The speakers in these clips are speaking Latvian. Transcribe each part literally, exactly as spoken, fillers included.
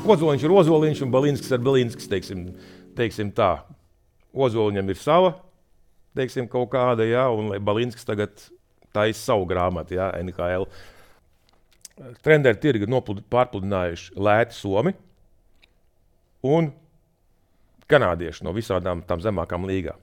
Ozoliņš ir Ozoliņš un Balinskis ir Balinskis, teiksim, teiksim tā. Ozoliņam ir sava, teiksim, kaut kāda, jā, un lai Balinskis tagad taisa savu grāmatu, jā, N H L. Trenderi tirgi pārpludinājuši lēti Somi un kanādieši no visādām tām zemākām līgām.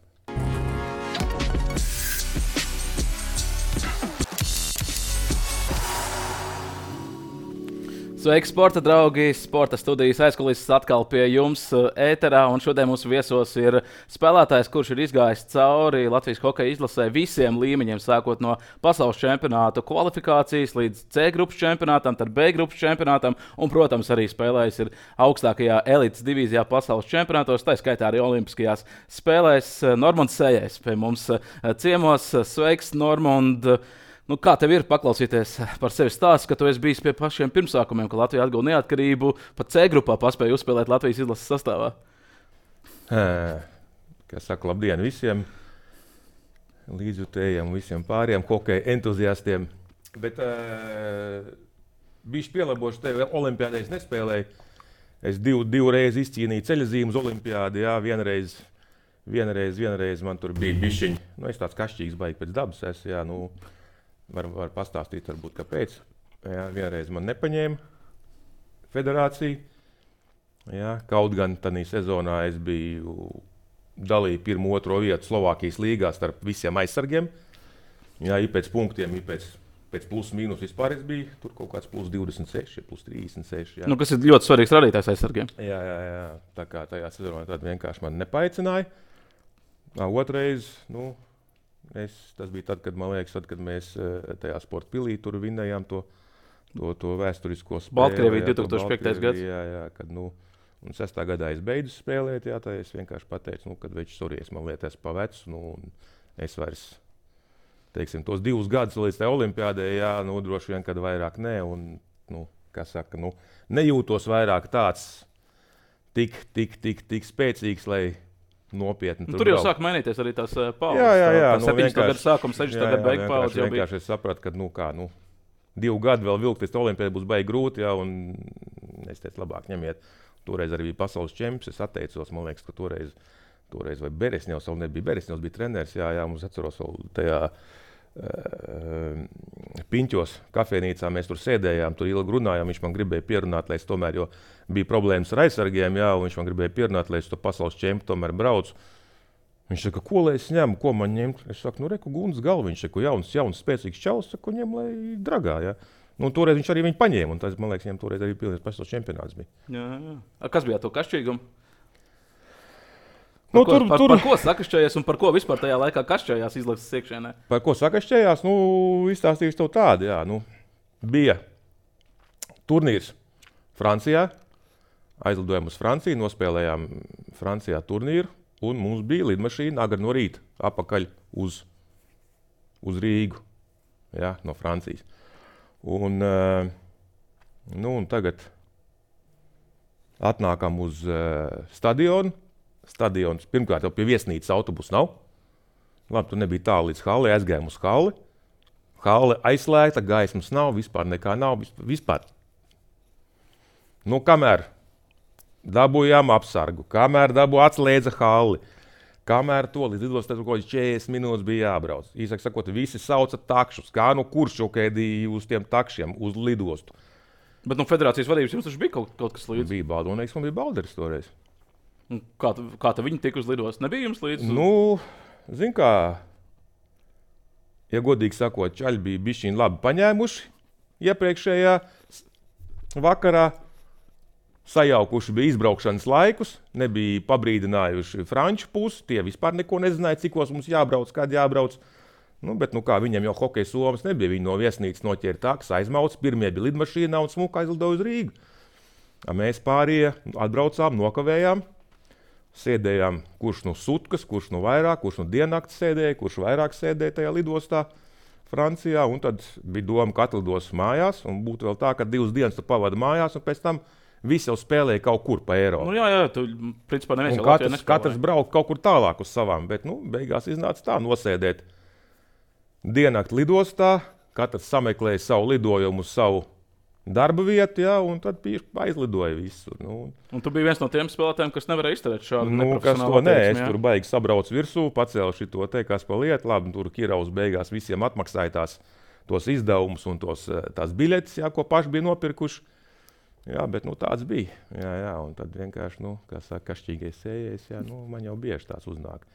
Sveiki, sporta draugi! Sporta studijas aizkulises atkal pie jums ēterā, un šodien mūsu viesos ir spēlētājs, kurš ir izgājis cauri Latvijas hokeja izlasē visiem līmeņiem, sākot no pasaules čempionāta kvalifikācijas līdz C grupas čempionātam, tad B grupas čempionātam, un, protams, arī spēlējis ir augstākajā elites divīzijā pasaules čempionātos, tā skaitā arī olimpiskajās spēlēs. Normunds Sējais pie mums ciemos. Sveiks, Normund! Nu, kā tev ir paklausīties par sevi stāstu, ka tu esi bijis pie pašiem pirmsākumiem, ka Latvija atguva neatkarību, pat C grupā paspēja uzspēlēt Latvijas izlases sastāvā? Kā saka, labdien visiem līdzjutējiem, visiem pāriem hokeja entuziastiem. Bet uh, bišķi pielabošu tevi, olimpiādē es nespēlēju. Es div, divu reizi izcīnīju ceļazīmu uz olimpiādi, jā, vienreiz, vienreiz, vienreiz man tur bija bišķiņi. Nu, es tāds kašķīgs baigi pēc dabas esmu, jā, nu... Var, var pastāstīt, varbūt, kāpēc. Jā, vienreiz man nepaņēma federācija. Jā, kaut gan tādā sezonā es biju dalīju pirmo, otro vietu Slovākijas līgā starp visiem aizsargiem. Jā, ir pēc punktiem, ir pēc, pēc plus mīnus vispār es biju. Tur kaut kāds plus divdesmit seši, plus trīsdesmit seši. Jā. Nu, kas ir ļoti svarīgs rādītājs aizsargiem. Jā, jā, jā. Tā kā tajā sezonā tad vienkārši man nepaicināja. Otrais, nu... Es, tas bija tad, kad, man liekas, tad, kad mēs tajā sporta pilī tur vinnējām to, to, to vēsturisko spēli. Baltkrievija divtūkstoš piektais gads. Jā, jā, kad, nu, un sestā gadā es beidzu spēlēt, jā, tā es vienkārši pateicu, nu, kad veči sories, man liekas, pa vecu, nu, un es vairs, teiksim, tos divus gadus līdz tai olimpiādē, jā, nu, droši vien, kad vairāk nē, un, nu, kā saka, nu, nejūtos vairāk tāds tik, tik, tik, tik spēcīgs, lai nopietni. Tur, tur jau brauc. Sāk mainīties arī tās paudzes. Jā, jā, jā. Tā septiņdesmito gadu sākums, sešdesmito gadu beigu paudze jau bija. Vienkārši es sapratu, ka, nu kā, nu, divu gadu vēl vilkt līdz olimpiādai būs baigi grūti, jā, un es teicu, labāk ņemiet. Toreiz arī bija pasaules čemps, es atteicos, man liekas, ka toreiz, toreiz vai Beresņevs, vēl nebija Beresņevs, bija treneris, jā, jā, mums atceros vēl tajā uh, Piņķos kafejnīcā, mēs tur sēdējām, tur ilgi runājām, viņš man gribēja pierunāt, lai es tomēr, jo bija problēmas ar aizsargiem, jā, un viņš man gribēja pierunāt, lai es to pasaules čempu tomēr braucu. Viņš saka, ko lai es ņemu, ko man ņemt? Es saku, nu reku Gundas galva, viņš saka, jauns, jauns, spēcīgs čaus, saku, ņem, lai dragā, jā. Nu, toreiz viņš arī viņu paņēma, un tas, man liekas, viņam toreiz arī pilnīgs pasaules čempionāts bija. Jā, jā. A, kas bija to kašķīgumu? Nu, par, tur, ko, par, tur... par ko sakašķējās un par ko vispār tajā laikā kašķējās izlases iekšēnē? Par ko sakašķējās? Nu, izstāstīšu tev tādu, jā. Nu, bija turnīrs Francijā, aizlidojām uz Franciju, nospēlējām Francijā turnīru, un mums bija lidmašīna agri no rīta apakaļ uz, uz Rīgu, jā, no Francijas. Un, uh, nu, un tagad atnākam uz uh, stadionu. Stadions, pirmkārt, jau pie viesnīcas autobusu nav. Labi, tu nebija tālu līdz halli, aizgājām uz halli. Halli aizslēgta, gaismas nav, vispār nekā nav, vispār. Nu, kamēr dabūjām apsargu, kamēr dabū atslēdza halli, kamēr to līdz lidostai kaut kāds četrdesmit minūtes bija jābrauc. Īsāk sakot, visi sauca takšus, kā nu kurš šokēdīja uz tiem takšiem, uz lidostu. Bet no federācijas vadības jums taču bija kaut, kaut kas līdzi? Bija Baldonīgs, man bija Balderis toreiz. Kā, kā tā viņi tika uz lidostu? Nebija jums līdzi? Nu, zin kā, ja godīgi sakot, čaļi bija bišķiņi labi paņēmuši iepriekšējā vakarā, sajaukuši bija izbraukšanas laikus, nebija pabrīdinājuši franču pusi, tie vispār neko nezināja, cikos mums jābrauc, kad jābrauc. Nu, bet, nu kā, viņam jau hokeja somas nebija, viņi no viesnīcas noķēra tāks, aizmauc, pirmie bija lidmašīnā un smuka aizlidoja uz Rīgu. Mēs pārējie atbraucām, nokavējām. Sēdējām, kurš no sutkas, kurš no vairāk, kurš no diennakts sēdēja, kurš vairāk sēdēja tajā lidostā Francijā. Un tad bija doma, ka atlidos mājās. Un būtu vēl tā, ka divas dienas tu pavadi mājās, un pēc tam visi jau spēlēja kaut kur pa Eiropu. Nu, jā, jā, tu principā neviens jau Latvijā nespēlēja. Katrs brauc kaut kur tālāk uz savām, bet nu, beigās iznāca tā nosēdēt diennakti lidostā. Katrs sameklēja savu lidojumu uz savu darba vietu, jā, un tad aizlidoja visur. Nu, un tu biji viens no tiem spēlētājiem, kas nevarēja izturēt šādu nu, neprofesionālu attieksmi. Nē, es jā? tur baigi sabraucu virsū, pacēlu šito te, kas pa lietu. Labi, tur Kiravs beigās visiem atmaksāja tās, tos izdevumus un tos, tās biļetes, jā, ko paši bija nopirkuši. Jā, bet nu, tāds bija. Jā, jā, un tad vienkārši, nu, kā saka, kašķīgais sējais, jā, nu, man jau bieži tās uznāk.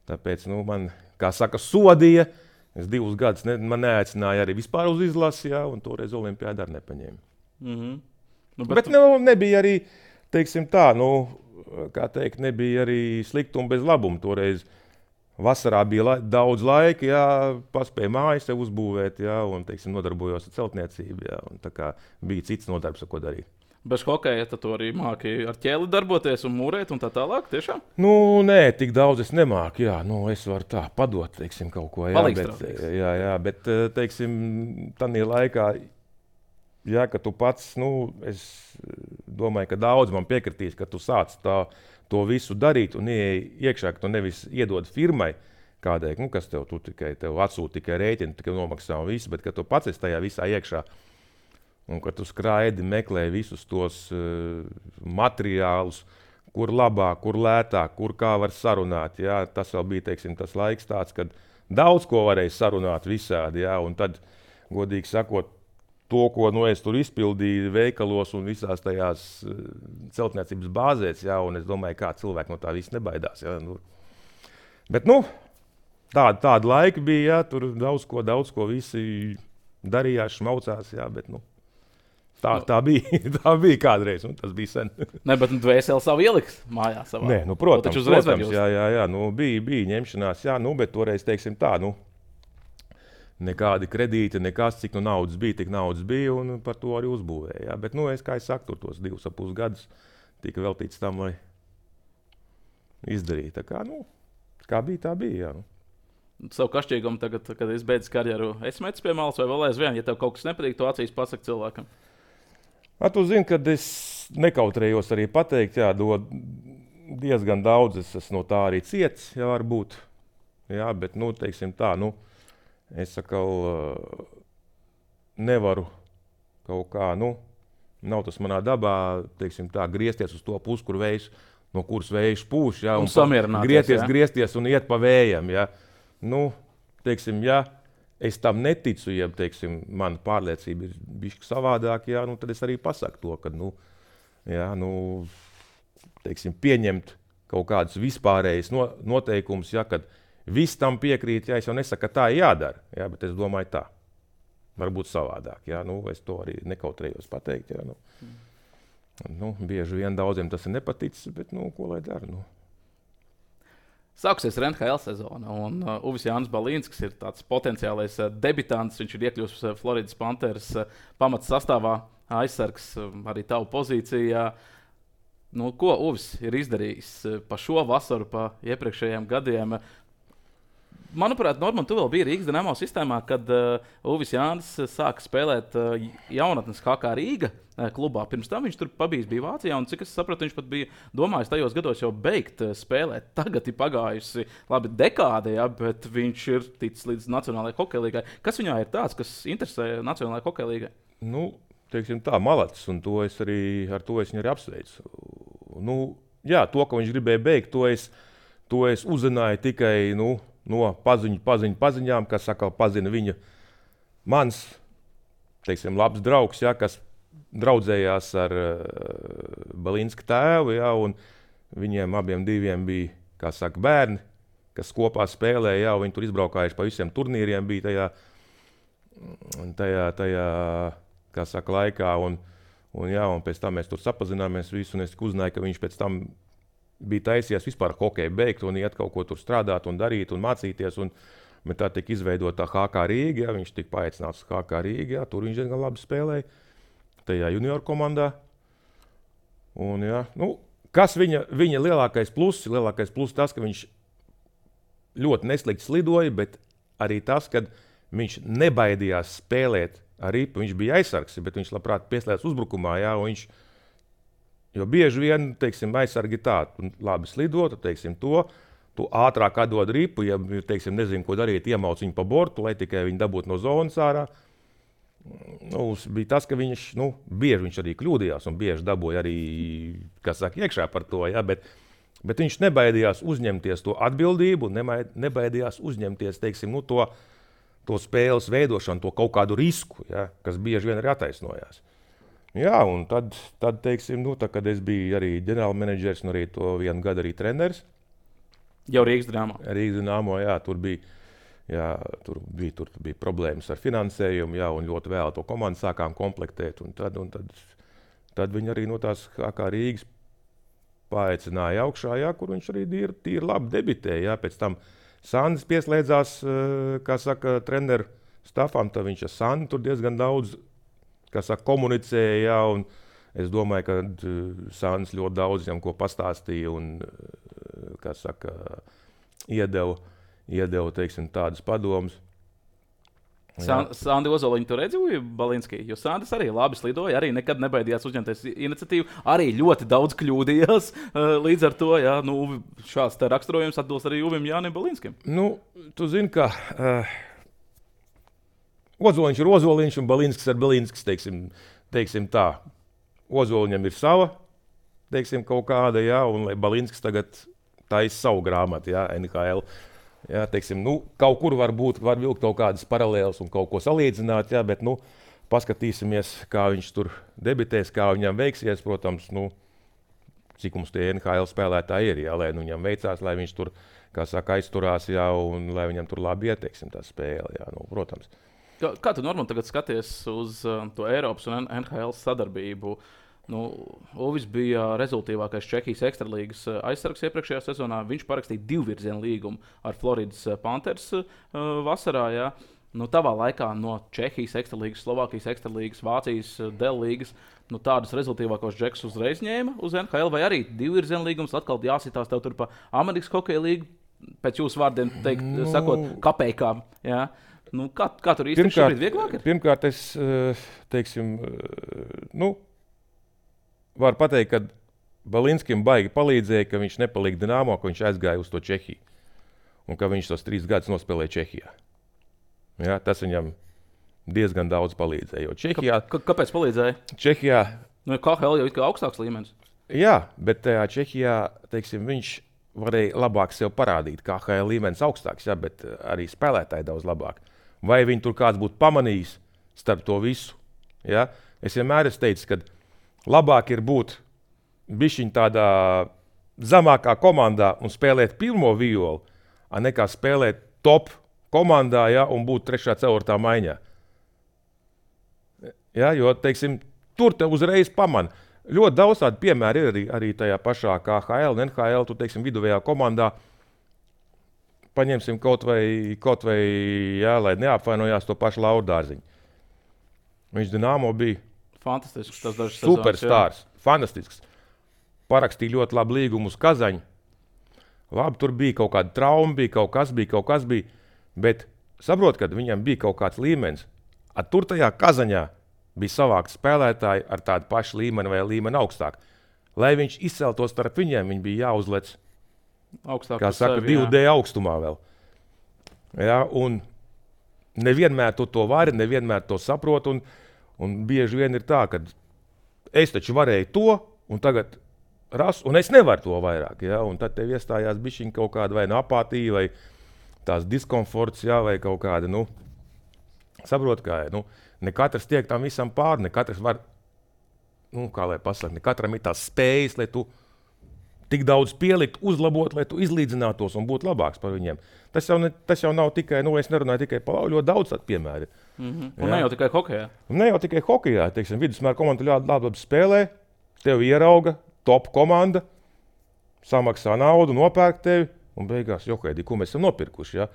Tāpēc, nu, man, kā saka, sodīja. Es divus gadus ne, man neaicināja arī vispār uz izlasi, jā, un toreiz olimpiādu arī nepaņēma. Mm-hmm. Nu, bet bet nu, nebija arī, teiksim tā, nu, kā teikt, nebija arī sliktuma bez labuma. Toreiz vasarā bija la daudz laika, jā, paspēja mājas sev uzbūvēt, jā, un, teiksim, nodarbojos ar celtniecību, jā, un tā kā bija cits nodarbs, ko darīt. Bez hokeja tad tu arī māki ar ķēli darboties un mūrēt un tā tālāk, tiešām? Nu, nē, tik daudz es nemāku, jā, nu, es varu tā padot, teiksim, kaut ko, jā, bet, jā, jā, bet, teiksim, tādā laikā, jā, ka tu pats, nu, es domāju, ka daudz man piekritīs, ka tu sāc tā, to visu darīt un ieej iekšā, ka tu nevis iedod firmai kādai, nu, kas tev, tu tikai, tev atsūta tikai rēķini, tikai nomaksā un visu, bet ka tu pats esi tajā visā iekšā. Un kad tu skraidi, meklē visus tos uh, materiālus, kur labāk, kur lētāk, kur kā var sarunāt. Jā, tas vēl bija, teiksim, tas laiks tāds, kad daudz ko varēja sarunāt visādi. Jā, un tad, godīgi sakot, to, ko nu, es tur izpildīju veikalos un visās tajās uh, celtniecības bāzēs, jā, un es domāju, kā cilvēki no tā viss nebaidās. Jā, nu. Bet, nu, tāda, tāda laika bija, jā, tur daudz ko, daudz ko visi darījās, šmaucās, jā, bet, nu, Tā, tā, bija, tā bija kādreiz, un tas bija sen. Nē, bet tu dvēseli savu ieliks mājās savā. Nē, nu, protams, protams jā, jā, jā, nu, bija, bija ņemšanās, jā, nu, bet toreiz, teiksim tā, nu, nekādi kredīti, nekas, cik nu naudas bija, tik naudas bija, un par to arī uzbūvēja, jā, bet, nu, es, kā es saku, tur tos divus ap pus gadus tika veltīts tam, lai izdarītu, tā kā, nu, kā bija, tā bija, jā, nu. Savu kašķīgumu tagad, kad es beidzu karjeru, esi metis pie malas vai vēl aizvien, ja tev kaut kas nepatīk, to acīs pasaka cilvēkam. A, tu zini, kad es nekautrējos arī pateikt, jā, do diezgan daudz, es esmu no tā arī ciets, jā, varbūt, jā, bet, nu, teiksim tā, nu, es sakal, nevaru kaut kā, nu, nav tas manā dabā, teiksim tā, griezties uz to pusi, kur vējš, no kuras vējš pūš, jā, un, un griezties, jā. griezties un iet pa vējam, jā, nu, teiksim, jā, es tam neticu, ja, teiksim, mana pārliecība ir bišķi savādāk, jā, nu, tad es arī pasaku to, ka, nu, jā, nu, teiksim, pieņemt kaut kādus vispārējus no, noteikumus, jā, kad viss tam piekrīt, jā, es jau nesaku, ka tā ir jādara, jā, bet es domāju tā, varbūt savādāk, jā, nu, es to arī nekautrējos pateikt, jā, nu, nu, bieži vien daudziem tas ir nepaticis, bet, nu, ko lai dara, nu. Sāksies R N H L sezona, un uh, Uvis Jānis Balīns, kas ir tāds potenciālais uh, debitants, viņš ir iekļuvis uh, Floridas Panthers uh, pamats sastāvā, aizsargs uh, arī tavu pozīcijā. Nu, ko Uvis ir izdarījis uh, pa šo vasaru, pa iepriekšējiem gadiem? Manuprāt, Norman, tu vēl biji Rīgas Dinamo sistēmā, kad uh, Uvis Jānis sāka spēlēt uh, jaunatnes H K Rīga uh, klubā. Pirms tam viņš tur pabijis bija Vācijā, un cik es sapratu, viņš pat bija domājis tajos gados jau beigt uh, spēlēt. Tagad ir pagājusi labi dekāde, ja, bet viņš ir ticis līdz Nacionālajai hokeja līgai. Kas viņā ir tāds, kas interesē Nacionālajai hokeja līgai? Nu, teiksim tā, malacis, un to es arī, ar to es viņu arī apsveicu. Nu, jā, to, ka viņš gribēja beigt, to es, to es uzzināju tikai, nu, no paziņu, paziņu, paziņām, kas atkal pazina viņa mans, teiksim, labs draugs, ja, kas draudzējās ar uh, Balīnska tēvu, ja, un viņiem abiem diviem bija, kā saka, bērni, kas kopā spēlēja, ja, viņi tur izbraukājuši pa visiem turnīriem bija tajā, tajā, tajā kā saka, laikā, un, un, ja, un pēc tam mēs tur sapazināmies visu, un es uzzināju, ka viņš pēc tam bija taisies vispār hokeju beigt un iet kaut ko tur strādāt un darīt un mācīties. Un, bet tā tika izveidota H K Rīga, ja, viņš tika paaicināts H K Rīga, ja, tur viņš diezgan labi spēlēja tajā junioru komandā. Un, ja, nu, kas viņa, viņa lielākais pluss? Lielākais pluss tas, ka viņš ļoti neslikti slidoja, bet arī tas, ka viņš nebaidījās spēlēt ar ripu. Viņš bija aizsargs, bet viņš labprāt pieslēdz uzbrukumā, ja, un viņš jo bieži vien, teiksim, aizsargi tā, labi slidot, teiksim, to, tu ātrāk atdod ripu, ja, teiksim, nezinu, ko darīt, iemauc viņu pa bortu, lai tikai viņi dabūtu no zonas ārā. nu, bija tas, ka viņš nu, bieži viņš arī kļūdījās un bieži dabūja arī, kas saka, iekšā par to, ja, bet, bet viņš nebaidījās uzņemties to atbildību, nebaidījās uzņemties, teiksim, nu, to, to spēles veidošanu, to kaut kādu risku, ja, kas bieži vien arī attaisnojās. Jā, un tad, tad teiksim, nu, tā, kad es biju arī ģenerālmenedžers un arī to vienu gadu arī treneris. Jau Rīgas Dynamo. Rīgas Dynamo, jā, tur bija, jā, tur bija, tur bija problēmas ar finansējumu, jā, un ļoti vēl to komandu sākām komplektēt. Un tad, un tad, tad viņi arī no tās kā Rīgas paaicināja augšā, jā, kur viņš arī tīri, tīri labi debitēja. Jā. Pēc tam Sandis pieslēdzās, kā saka, treneru stafam, tad viņš ar Sandu tur diezgan daudz kā saka, komunicēja, jā, un es domāju, ka uh, Sandis ļoti daudz viņam ko pastāstīja un, uh, kā saka, iedeva, iedeva, teiksim, tādas padomas. San, Sandi Ozoliņu tu redzēji Balinskī, jo Sandis arī labi slidoja, arī nekad nebaidījās uzņemties iniciatīvu, arī ļoti daudz kļūdījās, uh, līdz ar to, jā, nu, šāds te raksturojums atbilst arī Uvim Jānim Balinskim. Nu, tu zini, ka... Uh, Ozoliņš ir Ozoliņš un Balinskis ir Balinskis, teiksim, teiksim tā. Ozoliņam ir sava, teiksim, kaut kāda, jā, un Balinskis tagad taisa savu grāmatu, jā, N H L. Jā, teiksim, nu, kaut kur var būt, var vilkt kaut kādas paralēlas un kaut ko salīdzināt, jā, bet, nu, paskatīsimies, kā viņš tur debitēs, kā viņam veiksies, protams, nu, cik mums tie N H L spēlētāji ir, jā, lai nu, viņam veicās, lai viņš tur, kā saka, aizturās, jā, un lai viņam tur labi ieteiksim tā spēle, jā, nu, protams. Kā, kā tu, Norman, tagad skaties uz uh, to Eiropas un N H L sadarbību? Nu, Uvis bija rezultīvākais Čehijas ekstralīgas aizsargs iepriekšējā sezonā. Viņš parakstīja divvirzienu līgumu ar Floridas Panthers uh, vasarā. Jā. Nu, tavā laikā no Čehijas ekstralīgas, Slovākijas ekstralīgas, Vācijas Dell līgas nu, tādus rezultīvākos džekus uzreiz ņēma uz N H L, vai arī divvirzienu līgums atkal jāsitās tev tur pa Amerikas hokeja līgu, pēc jūsu vārdiem teikt, nu... sakot, kapeikām. Jā. Nu, kā, kā tur īstenībā šobrīd vieglāk ir? Pirmkārt, es teiksim, nu, varu pateikt, ka Balinskim baigi palīdzēja, ka viņš nepalika Dynamo, ka viņš aizgāja uz to Čehiju. Un ka viņš tos trīs gadus nospēlēja Čehijā. Ja, tas viņam diezgan daudz palīdzēja. Jo Čehijā, K kāpēc palīdzēja? Čehijā, nu, K H L jau ir kā augstāks līmenis. Jā, bet tajā Čehijā, teiksim, viņš varēja labāk sev parādīt. K H L līmenis augstāks, jā, bet arī spēlētāji daudz labāk. Vai viņi tur kāds būtu pamanījis starp to visu. Ja? Es vienmēr esmu teicis, ka labāk ir būt bišķiņ tādā zemākā komandā un spēlēt pirmo violu, nekā spēlēt top komandā, ja? Un būt trešā ceturtā maiņā. Ja? Jo, teiksim, tur te uzreiz pamana. Ļoti daudz tādu piemēru ir arī, arī tajā pašā K H L un N H L, tu, teiksim, viduvējā komandā. Paņemsim kaut vai, kaut vai jā, lai neapvainojās to pašu Lauru Dārziņu. Viņš Dynamo bija fantastisks, tas dažs superstārs, fantastisks. Parakstīja ļoti labu līgumu uz Kazaņu. Labi, tur bija kaut kāda trauma, bija kaut kas, bija kaut kas, bija, bet saprot, kad viņam bija kaut kāds līmenis. At tur tajā Kazaņā bija savākt spēlētāji ar tādu pašu līmeni vai līmeni augstāk. Lai viņš izceltos starp viņiem, viņi bija jāuzlec augstāk, kā saka, sevi, divu D augstumā vēl. Ja, un nevienmēr tu to vari, nevienmēr to saprot, un, un bieži vien ir tā, ka es taču varēju to, un tagad ras, un es nevaru to vairāk. Ja, un tad tev iestājās bišķiņ kaut kāda vai apātija, vai tās diskomforts, ja, vai kaut kāda, nu, saprot, kā ir. Nu, ne katrs tiek tam visam pāri, ne katrs var, nu, kā lai pasaka, ne katram ir tās spējas, lai tu tik daudz pielikt, uzlabot, lai tu izlīdzinātos un būtu labāks par viņiem. Tas jau, ne, tas jau nav tikai, nu, es nerunāju tikai par ļoti daudz tādu piemēru. Mm-hmm. Un ne jau tikai hokejā. Un ne jau tikai hokejā. Teiksim, vidusmēra komanda ļoti labi spēlē, tevi ierauga, top komanda, samaksā naudu, nopērk tevi, un beigās, jo, Heidi, ko mēs esam nopirkuši, ja?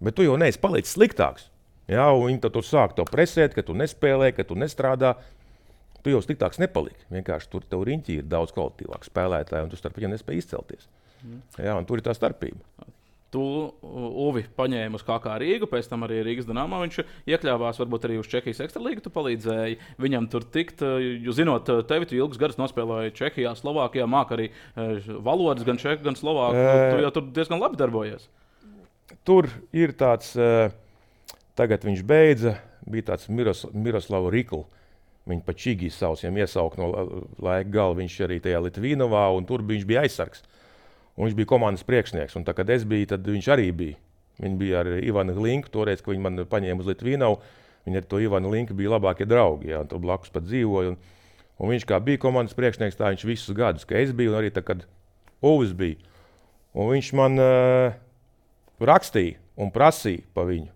Bet tu jau neesi palicis sliktāks. Ja? Un viņi tad tur sāk to presēt, ka tu nespēlē, ka tu nestrādā. Tu jau sliktāks nepaliki. Vienkārši tur tev riņķī ir daudz kvalitīvāk spēlētāji, un tu starp viņiem nespēj izcelties. Mm. Jā, un tur ir tā starpība. Tu, Uvi, paņēmi uz K K Rīgu, pēc tam arī Rīgas Dynamo. Viņš iekļāvās varbūt arī uz Čehijas ekstralīgu. Tu palīdzēji viņam tur tikt. Jūs zinot, tevi tu ilgus gadus nospēlēji Čehijā, Slovākijā, māk arī valodas, gan čehu, gan slovāku. E... Tu jau tur diezgan labi darbojies. Tur ir tāds, tagad viņš beidza, bija tāds Miros, Miroslava Rikla. Viņa pa Čigijas sauc, viņam iesaukt no laika gala. Viņš arī tajā Litvīnovā, un tur viņš bija aizsargs. Un viņš bija komandas priekšnieks. Un tā, kad es biju, tad viņš arī bija. Viņi bija ar Ivanu Glinku, toreiz, kad viņi man paņēma uz Litvīnovu. Viņi ar to Ivanu Linku bija labākie draugi, jā, un tur blakus pat dzīvoja. Un, un viņš kā bija komandas priekšnieks, tā viņš visus gadus, ka es biju, un arī tā, kad Uvis bija. Un viņš man uh, rakstīja un prasīja pa viņu.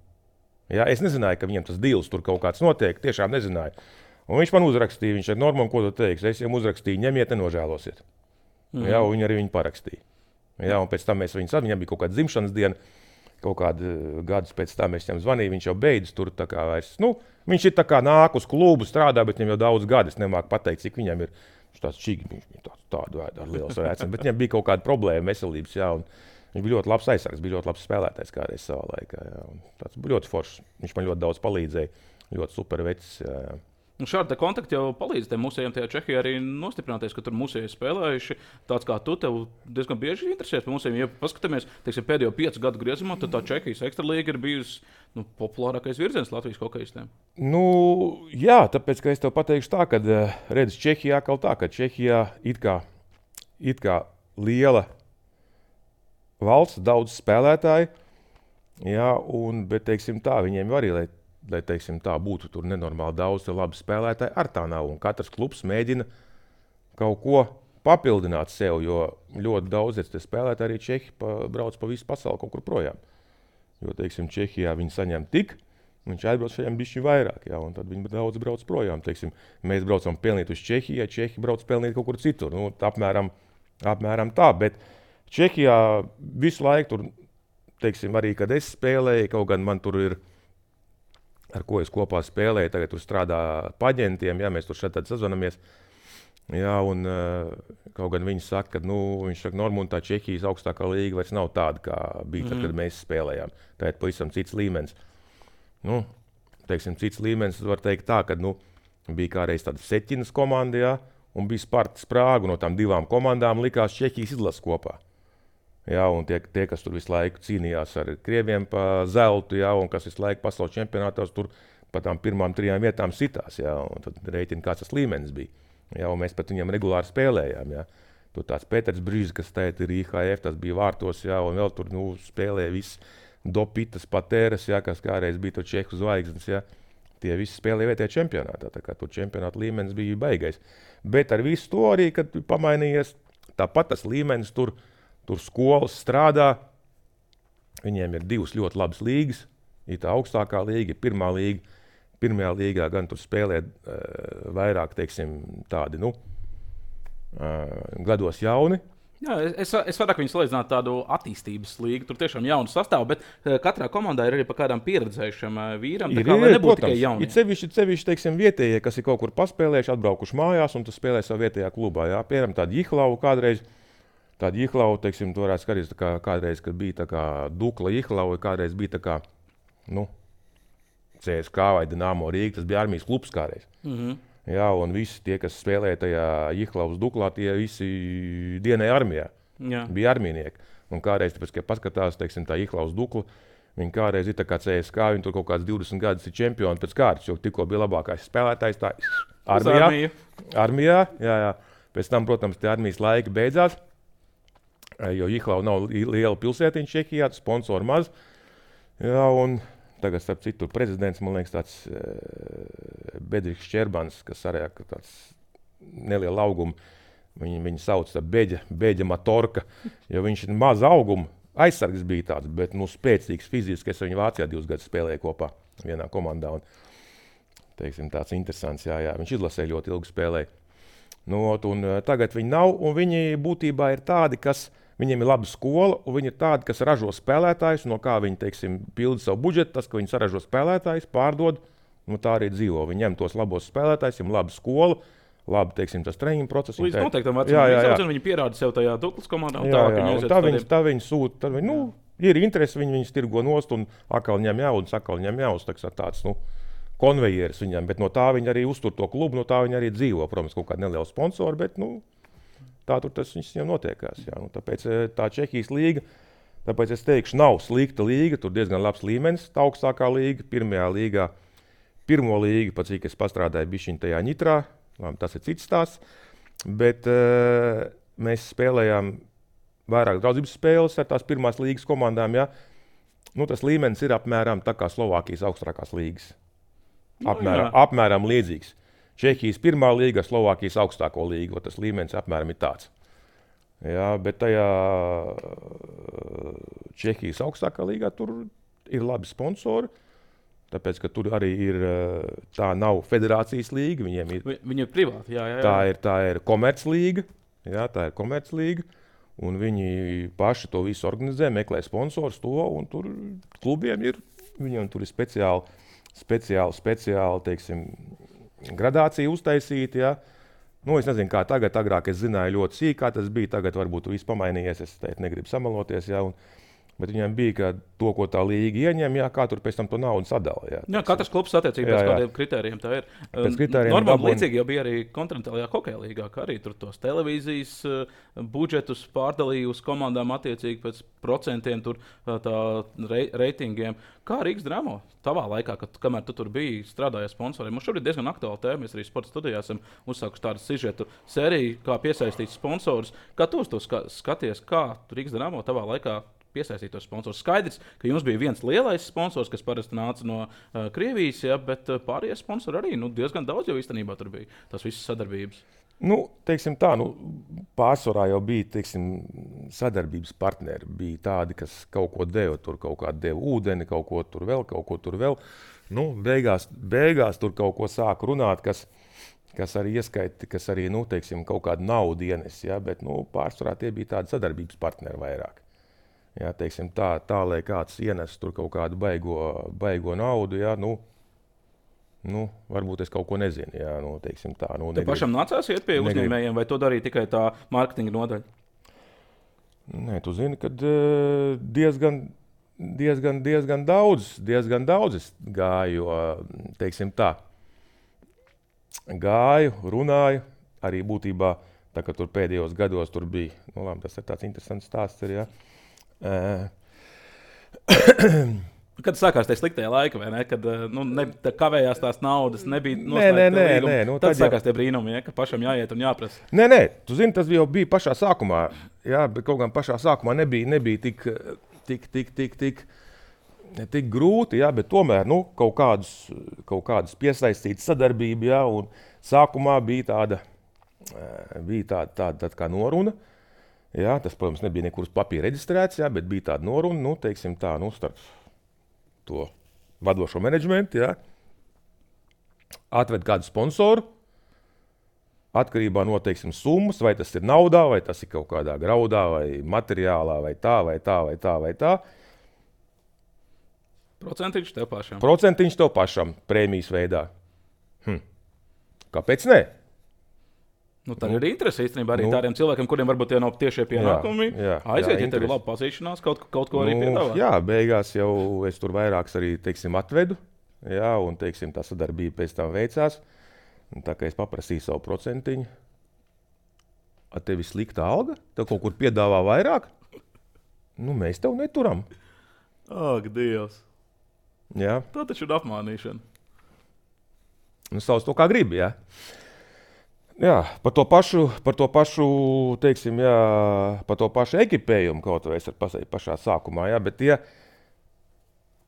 Jā, es nezināju, ka viņam tas dīls tur kaut kāds notiek, tiešām nezināju. Un viņš man uzrakstīja, viņš ar Normam, ko tu teiksi, es viņam uzrakstīju, ņemiet, nenožēlosiet. Mm. Jā, un viņi arī viņu parakstīja. Jā, un pēc tam mēs viņu sadarbojām, viņam bija kaut kāda dzimšanas diena, kaut kādu gadus pēc tam es viņam zvanīju, viņš jau beidzis tur tā kā vairs. Nu, viņš ir tā kā nāk uz klubu, strādā, bet viņam jau daudz gadu, es nemāku pateikt, cik viņam ir. Viņš tāds čīgi, viņš bija tāds, tādu vēdu ar liels rēcam, bet viņam bija kaut kāda problēma veselības, jā, un viņš bija ļoti labs aizsargs, bija ļoti labs spēlētājs kādreiz savā laikā, jā, un tāds bija ļoti foršs. Viņš man ļoti daudz palīdzēja, ļoti super vecs, jā, jā. Un šādi kontakti jau palīdz tiem mūsējiem tajā Čehijā arī nostiprināties, ka tur mūsēji spēlējuši tāds kā tu, tev diezgan bieži interesēs par mūsējiem. Ja paskatāmies, teiksim, pēdējo piecu gadu griezumā, tad tā Čehijas ekstralīga ir bijusi nu, populārākais virziens Latvijas hokejistiem. Nu, jā, tāpēc, ka es tev pateikšu tā, ka redz Čehijā kaut tā, ka Čehijā it kā, it kā liela valsts, daudz spēlētāji, jā, un, bet, teiksim tā, viņiem arī, lai lai teiksim, tā būtu tur nenormāli daudz labi spēlētāji, ar tā nav. Un katrs klubs mēģina kaut ko papildināt sev, jo ļoti daudz spēlētāji arī Čehi pa, brauc pa visu pasauli kaut kur projām. Jo, teiksim, Čehijā viņi saņem tik, viņš aizbrauc šajām bišķi vairāk, jā, un tad viņi daudz brauc projām. Teiksim, mēs braucam pelnīt uz Čehiju, Čehi brauc pelnīt kaut kur citur. Nu, apmēram, apmēram tā, bet Čehijā visu laiku tur, teiksim, arī, kad es spēlēju, kaut gan man tur ir ar ko es kopā spēlēju, tagad tur strādā paģentiem, jā, mēs tur šeit tad sazvanamies. Jā, un kaut gan viņi saka, ka, nu, viņš saka, Normund, tā Čehijas augstākā līga vairs nav tāda, kā bija tad, kad mēs spēlējām. Tā ir pavisam cits līmenis. Nu, teiksim, cits līmenis, var teikt tā, ka, nu, bija kādreiz tāda Seķinas komanda, jā, un bija Spartas Prāga, no tām divām komandām likās Čehijas izlases kopā. Jā, un tie, tie, kas tur visu laiku cīnījās ar krieviem pa zeltu, jā, un kas visu laiku pasaules čempionātos tur pa tām pirmām trijām vietām sitās, jā, un tad reiķina, kāds tas līmenis bija. Jā, un mēs pat viņam regulāri spēlējām, jā. Tur tāds Pēters Brīžs, kas tēt ir I H F, tas bija vārtos, jā, un vēl tur, nu, spēlēja viss Dopitas, Patēras, jā, kas kādreiz bija tur Čehu zvaigznes, jā. Tie visi spēlēja vietējā čempionātā, tā kā tur čempionāta līmenis bija baigais. Bet ar visu to arī, kad pamainījies, tāpat tas līmenis tur, Tur skolas strādā, viņiem ir divas ļoti labas līgas, ir tā augstākā līga, pirmā līga. Pirmajā līgā gan tur spēlē uh, vairāk, teiksim, tādi, nu, uh, gados jauni. Jā, es, es vairāk viņu salīdzinātu tādu attīstības līgu. Tur tiešām jaunu sastāvu, bet katrā komandā ir arī pa kādām pieredzējušiem vīram. Tā ir, kā ir, lai nebūtu protams, tikai jauni. Ir sevišķi, sevišķi, teiksim, vietējie, kas ir kaut kur paspēlējuši, atbraukuši mājās un tu spēlē savu vietējā klubā. Jā. Piemēram, tādu Jihlau kādreiz, tādu Jihlau, teiksim, tu varētu skatīties, tā kā kādreiz, kad bija tā kā Dukla Jihlau, kādreiz bija tā kā, nu, C S K vai Dinamo Rīga, tas bija armijas klubs kādreiz. Mhm. Jā, un visi tie, kas spēlēja tajā Jihlaus Duklā, tie visi dienēja armijā. Jā. Bija armijnieki. Un kādreiz, tāpēc, kad paskatās, teiksim, tā Jihlaus Dukla, viņi kādreiz ir tā kā C S K, viņi tur kaut kāds divdesmit gadus ir čempioni pēc kārtas, jo tikko bija labākais spēlētājs tā armijā. Armijā, jā, jā. Pēc tam, protams, tie armijas laiki beidzās, jo Jihlau nav liela pilsētiņa Čehijā, sponsori maz. Jā, un tagad, starp citu, prezidents, man liekas, tāds e, Bedriks Šķerbans, kas arī tāds neliela auguma, viņi, viņi sauc tā beģa, beģa matorka, jo viņš ir maz auguma, aizsargs bija tāds, bet nu, spēcīgs fiziski, es viņu Vācijā divus gadus spēlēju kopā vienā komandā. Un, teiksim, tāds interesants, jā, jā, viņš izlasēja ļoti ilgi spēlēja. Nu, un tagad viņi nav, un viņi būtībā ir tādi, kas viņiem ir laba skola, un viņi ir tādi, kas ražo spēlētājus, no kā viņi, teiksim, pilda savu budžetu, tas, ka viņi saražo spēlētājus, pārdod, nu tā arī dzīvo. Viņi ņem tos labos spēlētājus, viņiem laba skola, labi, teiksim, tas treniņu process. Līdz noteiktam vecumam, viņi pierāda sev tajā Duklas komandā, un jā, tā, jā, un tā viņi, tā viņi sūta, tad viņi, nu, ir interesi, viņi viņus tirgo nost, un akal ņem jaudas, akal ņem jaudas, tā, tāds, nu, konvejeris viņam, bet no tā viņi arī uztur to klubu, no tā viņi arī dzīvo, protams, kaut kāda neliela sponsora, bet, nu, tā tur tas viņam notiekās. Jā. Nu, tāpēc tā Čehijas līga, tāpēc es teikšu, nav slikta līga, tur diezgan labs līmenis, tā augstākā līga, pirmajā līgā pirmo līgu, pat cik es pastrādāju bišķiņ tajā ņitrā, labi, tas ir cits stāsts, bet uh, mēs spēlējām vairāk draudzības spēles ar tās pirmās līgas komandām, ja. Nu, tas līmenis ir apmēram tā kā Slovākijas augstākās līgas. Apmēram, no, apmēram līdzīgs. Čehijas pirmā līga, Slovākijas augstāko līgu, tas līmenis apmēram ir tāds. Jā, bet tajā Čehijas augstākā līgā tur ir labi sponsori, tāpēc, ka tur arī ir, tā nav federācijas līga, viņiem ir. Viņi ir privāti, jā, jā, jā. Tā ir, tā ir komerclīga, jā, tā ir komerclīga, un viņi paši to visu organizē, meklē sponsors to, un tur klubiem ir, viņiem tur ir speciāli, speciāli, speciāli, teiksim, gradācija uztaisīta, jā. Nu, es nezinu, kā tagad, agrāk es zināju ļoti sīk, kā tas bija, tagad varbūt viss pamainījies, es teikt, negribu samaloties, jā, un bet viņiem bija, ka to, ko tā līga ieņem, jā, kā tur pēc tam to naudu sadala. Jā, jā, katrs klubs attiecīgi pēc kādiem kritērijiem tā ir. Normāli dabūn... līdzīgi jau bija arī kontinentālajā hokeja līgā, ka arī tur tos televīzijas uh, budžetus pārdalīja uz komandām attiecīgi pēc procentiem, tur uh, tā rei, reitingiem. Kā Rīgas Dramo tavā laikā, kad, kamēr tu tur biji strādājis sponsoriem? Mums šobrīd diezgan aktuāla tēma, mēs arī sporta studijā esam uzsākuši tādu sižetu sēriju, kā piesaistīt sponsorus. Kā tu uz to skaties, kā Rīgas Dramo tavā laikā piesaistītos sponsors? Skaidrs, ka jums bija viens lielais sponsors, kas parasti nāca no uh, Krievijas, ja, bet uh, pārējie sponsori arī nu, diezgan daudz jau īstenībā tur bija tās visas sadarbības. Nu, teiksim tā, nu, pārsvarā jau bija, teiksim, sadarbības partneri. Bija tādi, kas kaut ko deva, tur kaut kā deva ūdeni, kaut ko tur vēl, kaut ko tur vēl. Nu, beigās, beigās tur kaut ko sāk runāt, kas, kas arī ieskaiti, kas arī, nu, teiksim, kaut kādu naudu ienes, ja, bet, nu, pārsvarā tie bija tādi sadarbības partneri vairāk. Jā, teiksim, tā, tā, lai kāds ienes tur kaut kādu baigo, baigo naudu, jā, nu, nu, varbūt es kaut ko nezinu, jā, nu, teiksim tā. Nu, Tev pašam nācās iet pie uzņēmējiem, vai to darīja tikai tā mārketinga nodaļa? Nē, tu zini, kad diezgan, diezgan, diezgan daudz, diezgan daudz es gāju, teiksim tā, gāju, runāju, arī būtībā, tā kā tur pēdējos gados tur bija, nu, labi, tas ir tāds interesants stāsts arī, jā. Uh. Kad sākās tie sliktie laiki, vai ne? Kad nu, ne, kavējās tās naudas, nebija noslēgta līguma. Nē, nē, nē. Nu, tad tad sākās jau... tie brīnumi, ja, ka pašam jāiet un jāprasa. Nē, nē, tu zini, tas jau bija pašā sākumā. Jā, bet kaut gan pašā sākumā nebija, nebija tik, tik, tik, tik, tik, tik grūti, jā, bet tomēr nu, kaut kādus, kaut kādus piesaistītas sadarbību, jā, un sākumā bija tāda, bija tāda, tāda, tāda kā noruna. Jā, tas, protams, nebija nekur uz papīra reģistrēts, jā, bet bija tāda noruna, nu, teiksim tā, nu, starp to vadošo menedžmentu, jā. Atved kādu sponsoru, atkarībā no, teiksim, summas, vai tas ir naudā, vai tas ir kaut kādā graudā, vai materiālā, vai tā, vai tā, vai tā, vai tā. Procentiņš tev pašam. Procentiņš tev pašam, prēmijas veidā. Hm. Kāpēc ne? Nu, tā ir interese īstenībā arī nu, tādiem cilvēkiem, kuriem varbūt tie nav tiešie pienākumi. Jā, jā, aiziet, jā, ja tev ir laba pazīšanās, kaut, kaut ko arī nu, piedāvā. Jā, beigās jau es tur vairāks arī, teiksim, atvedu. Jā, un, teiksim, tā sadarbība pēc tam veicās. Un tā kā es paprasīju savu procentiņu, ar tevi slikta alga? Tev kaut kur piedāvā vairāk? Nu, mēs tev neturam. Ak, Dievs. Jā. Tā taču ir apmānīšana. Nu, sauc to kā gribi, jā. Jā, par to pašu, par to pašu, teiksim, jā, par to pašu ekipējumu kaut vai es ar pasēju pašā sākumā, jā, bet tie,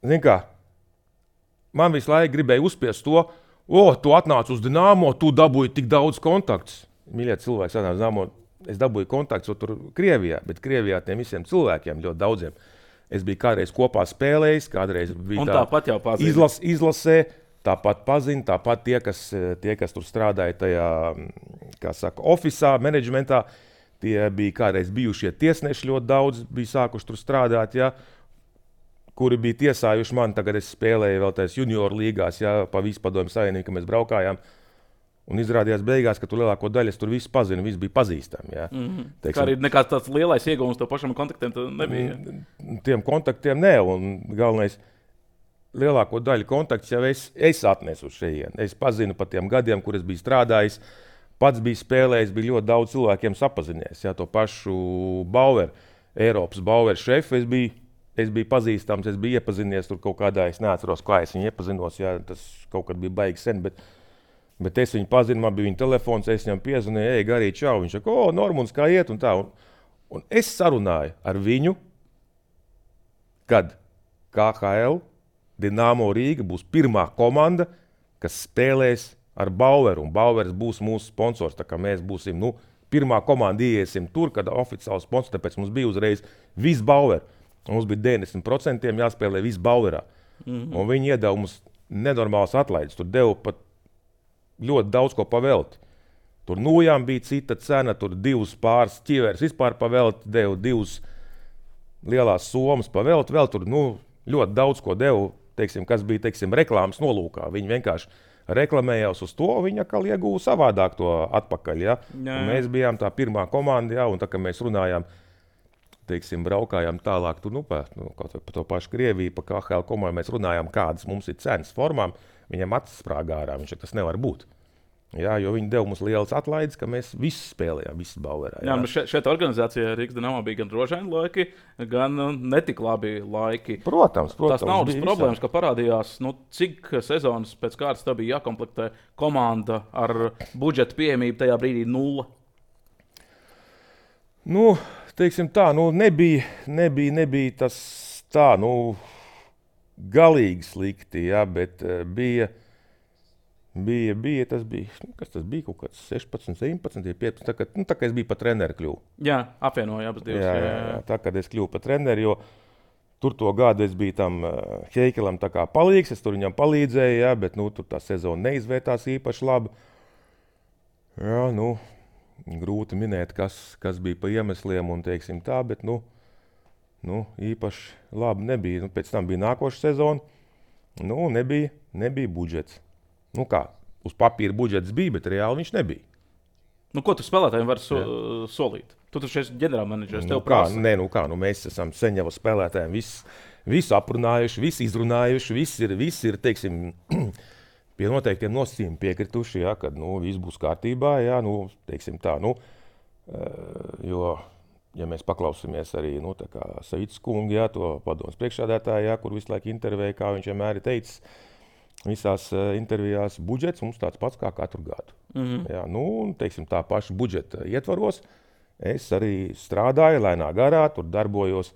zin kā, man visu laiku gribēja uzspiest to, o, tu atnāc uz Dinamo, tu dabūji tik daudz kontaktus. Mīļie cilvēki, atnāc uz Dinamo, es dabūju kontaktus tur Krievijā, bet Krievijā tiem visiem cilvēkiem, ļoti daudziem. Es biju kādreiz kopā spēlējis, kādreiz bija tā, tāpat jau pazina. Izlas, izlasē, tāpat pazina, tāpat tie, kas, tie, kas tur strādāja tajā, kā saka, ofisā, menedžmentā, tie bija kādreiz bijušie tiesneši ļoti daudz, bija sākuši tur strādāt, ja, kuri bija tiesājuši mani, tagad es spēlēju vēl tās junioru līgās, ja, pa visu padomju savienību, ka mēs braukājām, un izrādījās beigās, ka tur lielāko daļu es tur visu pazinu, viss bija pazīstami, ja. Mm-hmm. Teiksim, kā arī nekāds tāds lielais ieguvums to pašam kontaktiem nebija. Tiem kontaktiem ne, un galvenais, lielāko daļu kontaktus jau es, es atnesu uz šejienu. Es pazinu par tiem gadiem, kur es biju strādājis, pats biju spēlējis, bija ļoti daudz cilvēkiem sapazinies. Jā, to pašu Bauer, Eiropas Bauer šefu, es biju, es biju pazīstams, es biju iepazinies tur kaut kādā, es neatceros, kā es viņu iepazinos, jā, tas kaut kad bija baigi sen, bet, bet es viņu pazinu, man bija viņa telefons, es viņam piezvanīju, ej, Garī, čau, viņš saka, o, Normunds, kā iet, un tā, un, un es sarunāju ar viņu, kad K H L Dinamo Rīga būs pirmā komanda, kas spēlēs ar Baueru, un Bauers būs mūsu sponsors, tā kā mēs būsim, nu, pirmā komanda iesim tur, kad oficiāli sponsors, tāpēc mums bija uzreiz viss Bauer. Mums bija deviņdesmit procenti jāspēlē viss Bauerā. Mm-hmm. Un viņi iedeva mums nenormāls atlaides. Tur deva pat ļoti daudz ko pavelt. Tur nojām bija cita cena, tur divas pāris ķiveres vispār pavelt, deva divas lielās somas pavelt, vēl tur nu, ļoti daudz ko deva, teiksim, kas bija teiksim, reklāmas nolūkā. Viņi vienkārši reklamējās uz to, viņi atkal ieguva savādāk to atpakaļ. Ja? Mēs bijām tā pirmā komanda, ja? Un tā kā mēs runājām, teiksim, braukājām tālāk, tur, nu, pa, nu, kaut vai pa to pašu Krieviju, pa K H L komandu, mēs runājām, kādas mums ir cenas formām, viņam acis sprāgā ārā, viņš tas nevar būt. Jā, jo viņi deva mums lielas atlaides, ka mēs visi spēlējām, visi Bauerā. Jā, jā bet šeit, šeit organizācijā Rīgas Dinamo bija gan drošaini laiki, gan netik labi laiki. Protams, protams. Tās naudas problēmas, visā. Ka parādījās, nu, cik sezonas pēc kārtas tā bija jākomplektē komanda ar budžeta pieejamību tajā brīdī nulle. Nu, teiksim tā, nu, nebija, nebija, nebija tas tā, nu, galīgi slikti, jā, bet uh, bija, bija, bija, tas bija, nu, kas tas bija, kaut kāds sešpadsmit, septiņpadsmit, piecpadsmit, tā kā, nu, tā kā es biju pa treneru kļuvu. Jā, apvienoja abas divas. Jā, jā, jā, tā kā es kļuvu pa treneru, jo tur to gadu es biju tam uh, Heikelam tā kā palīgs, es tur viņam palīdzēju, jā, bet, nu, tur tā sezona neizvērtās īpaši labi. Jā, nu, grūti minēt, kas, kas bija pa iemesliem un teiksim tā, bet nu, nu, īpaši labi nebija. Nu, pēc tam bija nākoša sezona, nu, nebija, nebija budžets. Nu kā, uz papīra budžets bija, bet reāli viņš nebija. Nu, ko tu spēlētājiem vari so, solīt? Tu taču esi ģenerālmenedžers, tev nu, kā, prasa. Nē, nu kā, nu mēs esam sen jau spēlētājiem visu, visu aprunājuši, visu izrunājuši, viss ir, viss ir, teiksim, pie noteiktiem nosacījumiem piekrituši, ja, kad nu, viss būs kārtībā, ja, nu, teiksim tā, nu, jo, ja mēs paklausāmies arī nu, Savickas kungu, ja, to padomus priekšsēdētāju, ja, kur visu laiku intervēja, kā viņš vienmēr ir teicis, visās uh, intervijās budžets mums tāds pats kā katru gadu. Mm-hmm. Ja, nu, teiksim tā paša budžeta ietvaros, es arī strādāju lēnā garā, tur darbojos.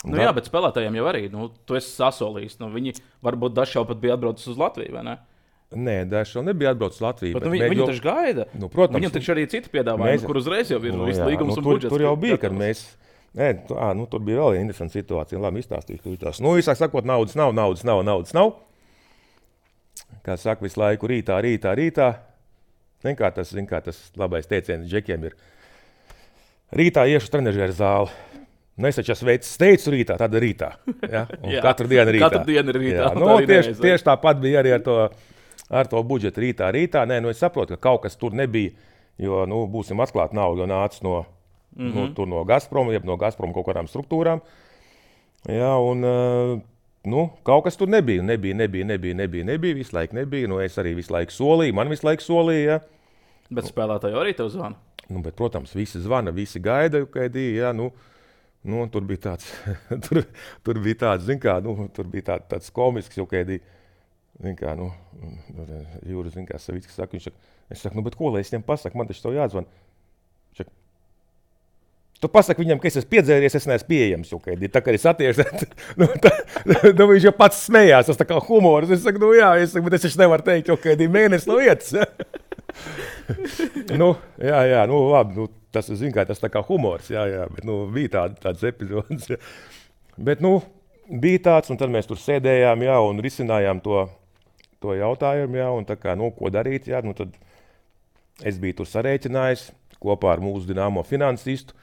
Nu, jā, bet spēlētājiem jau arī, nu, tu esi sasolījis. Nu, viņi varbūt dažs jau pat bija atbraucis uz Latviju, vai ne? Nē, dažs jau nebija atbraucis uz Latviju. Bet, bet nu, viņi, viņi taču gaida. Nu, protams. Viņam taču arī citi piedāvājumi, mēs... kur uzreiz jau ir nu, viss līgums nu, un tur, budžets. Tur jau bija, kad mēs, nē, tu, ā, nu, tur bija vēl viena interesanta situācija. Labi, izstāstīšu. Nu, visāk sakot, naudas nav, naudas nav, naudas nav. Kā saka, visu laiku rītā, rītā, rītā. Zin kā tas, zin kā tas labais teiciens džekiem ir. Rītā iešu trenežera zāli. Nu, es taču esmu veicis steicu rītā, tad rītā. Ja? Jā, katru dienu rītā. Katru dienu rītā. Nu, tieši, tieši tāpat bija arī ar to, ar to budžetu rītā, rītā. Nē, nu, es saprotu, ka kaut kas tur nebija, jo, nu, būsim atklāti, nauda nāca no, mm-hmm. nu, tur no Gazprom, jeb no Gazprom kaut kādām struktūrām. Jā, un, nu, kaut kas tur nebija, nebija, nebija, nebija, nebija, nebija, visu laiku nebija. Nu, es arī visu laiku solīju, man visu laiku solīju, ja. Bet spēlētāji arī tev zvana? Nu, bet, protams, visi zvana, visi gaida, kaidī, jā, nu. Nu, tur bija tāds, tur, tur bija tāds, zin kā, nu, tur bija tā, tāds komisks, jau kādī, zin kā, nu, Jūras, zin kā, Savickas saka, viņš saka, es saku, nu, bet ko, lai es viņam pasaku, man taču tev jāatzvan. Saka, tu pasaki viņam, ka es esmu piedzēries, es neesmu pieejams, jau kādī, tā kā es attiešu, nu, tā, nu, viņš jau pats smējās, tas tā kā humors, es saku, nu, jā, es saku, bet es taču nevaru teikt, jau kādī mēnesi no vietas. nu, jā, jā, nu, labi, nu, tas, zin kā, tas tā kā humors, jā, jā, bet, nu, bija tāda, tādas epizodes. Jā. Bet, nu, bija tāds, un tad mēs tur sēdējām, jā, un risinājām to, to jautājumu, jā, un tā kā, nu, ko darīt, jā, nu, tad es biju tur sarēķinājis kopā ar mūsu Dinamo finansistu.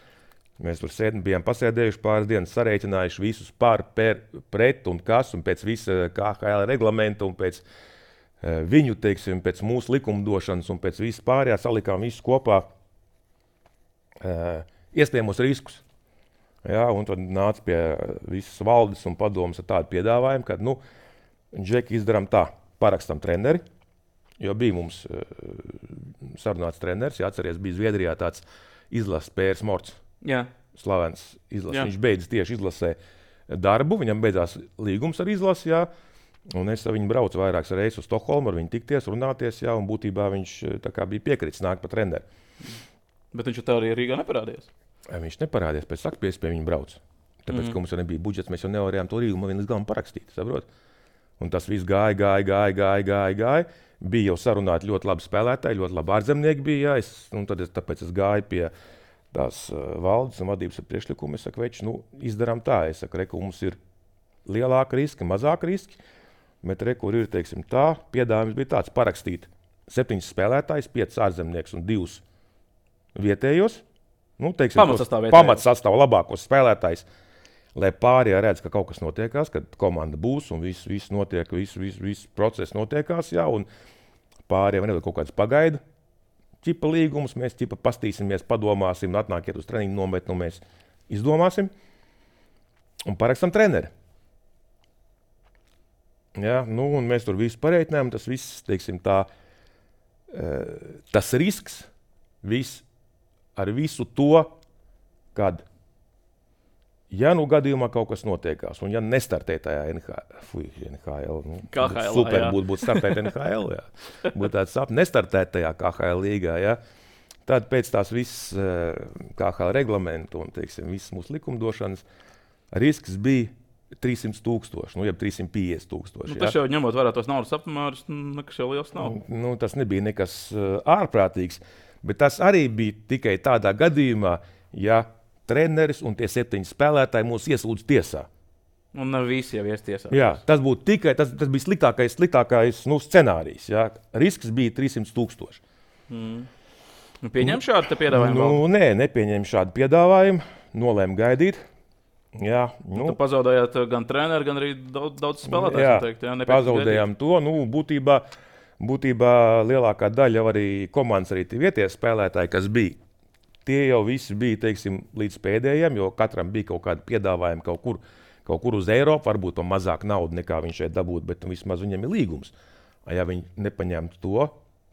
Mēs tur sēdējām, bijām pasēdējuši pāris dienas, sarēķinājuši visus par, per, pret un kas, un pēc visa K H L reglamenta, un pēc uh, viņu, teiksim, pēc mūsu likumdošanas, un pēc visu pārējā salikām visus kopā. Uh, iespējamos riskus. Ja, un tad nāca pie visas valdes un padomas ar tādu piedāvājumu, ka, nu, Džeki, izdarām tā, parakstam treneri, jo bija mums uh, sarunāts treneris, ja atceries, bija Zviedrijā tāds izlases Pērs Morts, Jā. slavens izlases, Jā. viņš beidz tieši izlasē. darbu, viņam beidzās līgums ar izlasi, jā, un es ar viņu braucu vairākas reizes uz Stokholmu, ar viņu tikties, runāties, jā, un būtībā viņš tā kā bija piekritis nākt pa treneri. Bet viņš tā arī Rīgā neparādījās? Viņš neparādījās, pēc sakpies pie viņa brauc. Tāpēc, mm. ka mums jau nebija budžets, mēs jau nevarējām to līgumu līdz galam parakstīt, saprot? Un tas viss gāja, gāja, gāja, gāja, gāja, gāja. Bija jau sarunāti ļoti labi spēlētāji, ļoti labi ārzemnieki bija, jā, es, un tad es, tāpēc es gāju pie tās uh, valdes un vadības ar priekšlikumu. Es saku, veči, nu, izdarām tā, es saku, reku, mums ir lielāka riski, mazāka riski, bet reku, ir, teiksim, tā, piedāvājums bija tāds parakstīt septiņas spēlētājus, piecas ārzemnieks un divus vietējos, nu, teiksim, pamatsastāv pamatsastāv labākos spēlētājus, lai pārējā redz, ka kaut kas notiekās, kad komanda būs un viss, viss notiek, viss, viss, viss process notiekās, jā, un pārējā nedod kaut kāds pagaidu ķipa līgumus, mēs ķipa pastīsimies, padomāsim, atnākiet uz treniņu nometni, mēs izdomāsim un parakstam treneri. Jā, nu, un mēs tur visu pareiķinājām, tas viss, teiksim, tā, tas risks, viss, ar visu to, kad ja nu gadījumā kaut kas notiekās, un ja nestartē tajā N H L, fuj, N H L, nu, K H L, super būtu būt startēt N H L, jā. Būtu tāds sap, nestartēt tajā K H L līgā, jā. Tad pēc tās viss K H L reglamentu un, teiksim, viss mūsu likumdošanas risks bija trīssimt tūkstoši, nu, jeb trīssimt piecdesmit tūkstoši. Nu, tas jau ņemot vērā tos naudas apmērus, nekas jau liels nav. Nu, tas nebija nekas ārprātīgs, bet tas arī bija tikai tādā gadījumā, ja treneris un tie septiņi spēlētāji mūs ieslūdz tiesā. Un ne visi jau ies tiesā. Jā, tas būtu tikai, tas, tas bija sliktākais, sliktākais nu, scenārijs, jā. Risks bija trīssimt tūkstoši. Mm. Nu, pieņem šādu te piedāvājumu? Nu, nē, nepieņem šādu piedāvājumu, nolēmu gaidīt. Jā, nu. Tu pazaudējāt gan treneri, gan arī daudz, daudz spēlētājs. Jā, teikt, jā pazaudējām to, nu, būtībā, būtībā lielākā daļa jau arī komandas arī tie vieties spēlētāji, kas bija. Tie jau visi bija, teiksim, līdz pēdējiem, jo katram bija kaut kādi piedāvājumi kaut kur, kaut kur uz Eiropu, varbūt to mazāk naudu nekā viņš šeit dabūt, bet vismaz viņam ir līgums. Ja viņi nepaņemtu to,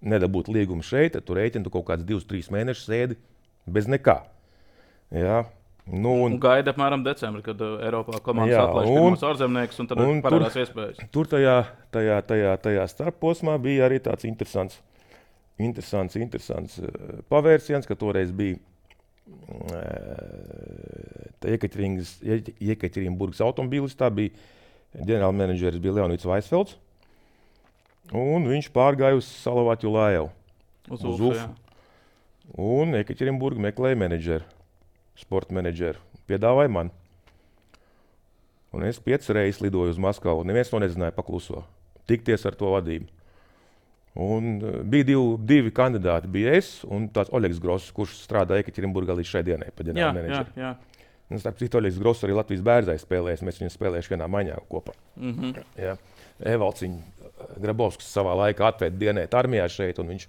nedabūtu līgumu šeit, tad tu rēķini, tu kaut kāds divus, trīs mēnešus sēdi bez nekā. Jā. Nu, un, un gaida apmēram decembri, kad uh, Eiropā komandas atlaiž pirmos ārzemniekus, un tad un parādās tur, iespējas. Tur tajā, tajā, tajā, tajā starposmā bija arī tāds interesants Interesants, interesants pavērsiens, ka toreiz bija Jekaterinburgas automobīlis, tā bija ģenerālmenedžeris bija Leonids Vaisfelds, un viņš pārgāja uz Salavatju Lajevu, uz, uz U F U. Un Jekaterinburga meklēja menedžeru, sporta menedžeru, piedāvāja man. Un es piecas reizes lidoju uz Maskavu, neviens to nezināja pakluso, tikties ar to vadību. Un bija divi, divi kandidāti, bija es un tāds Oļegs Gross, kurš strādā Jekaterinburgā līdz šai dienai pa ģenerāla menedžeri. Jā, jā. Un starp citu Oļegs Gross arī Latvijas Bērzai spēlēs, mēs viņu spēlējuši vienā maiņā kopā. Mm-hmm. Jā. Evalds viņu Grabovskis savā laikā atvērt dienēt armijā šeit, un viņš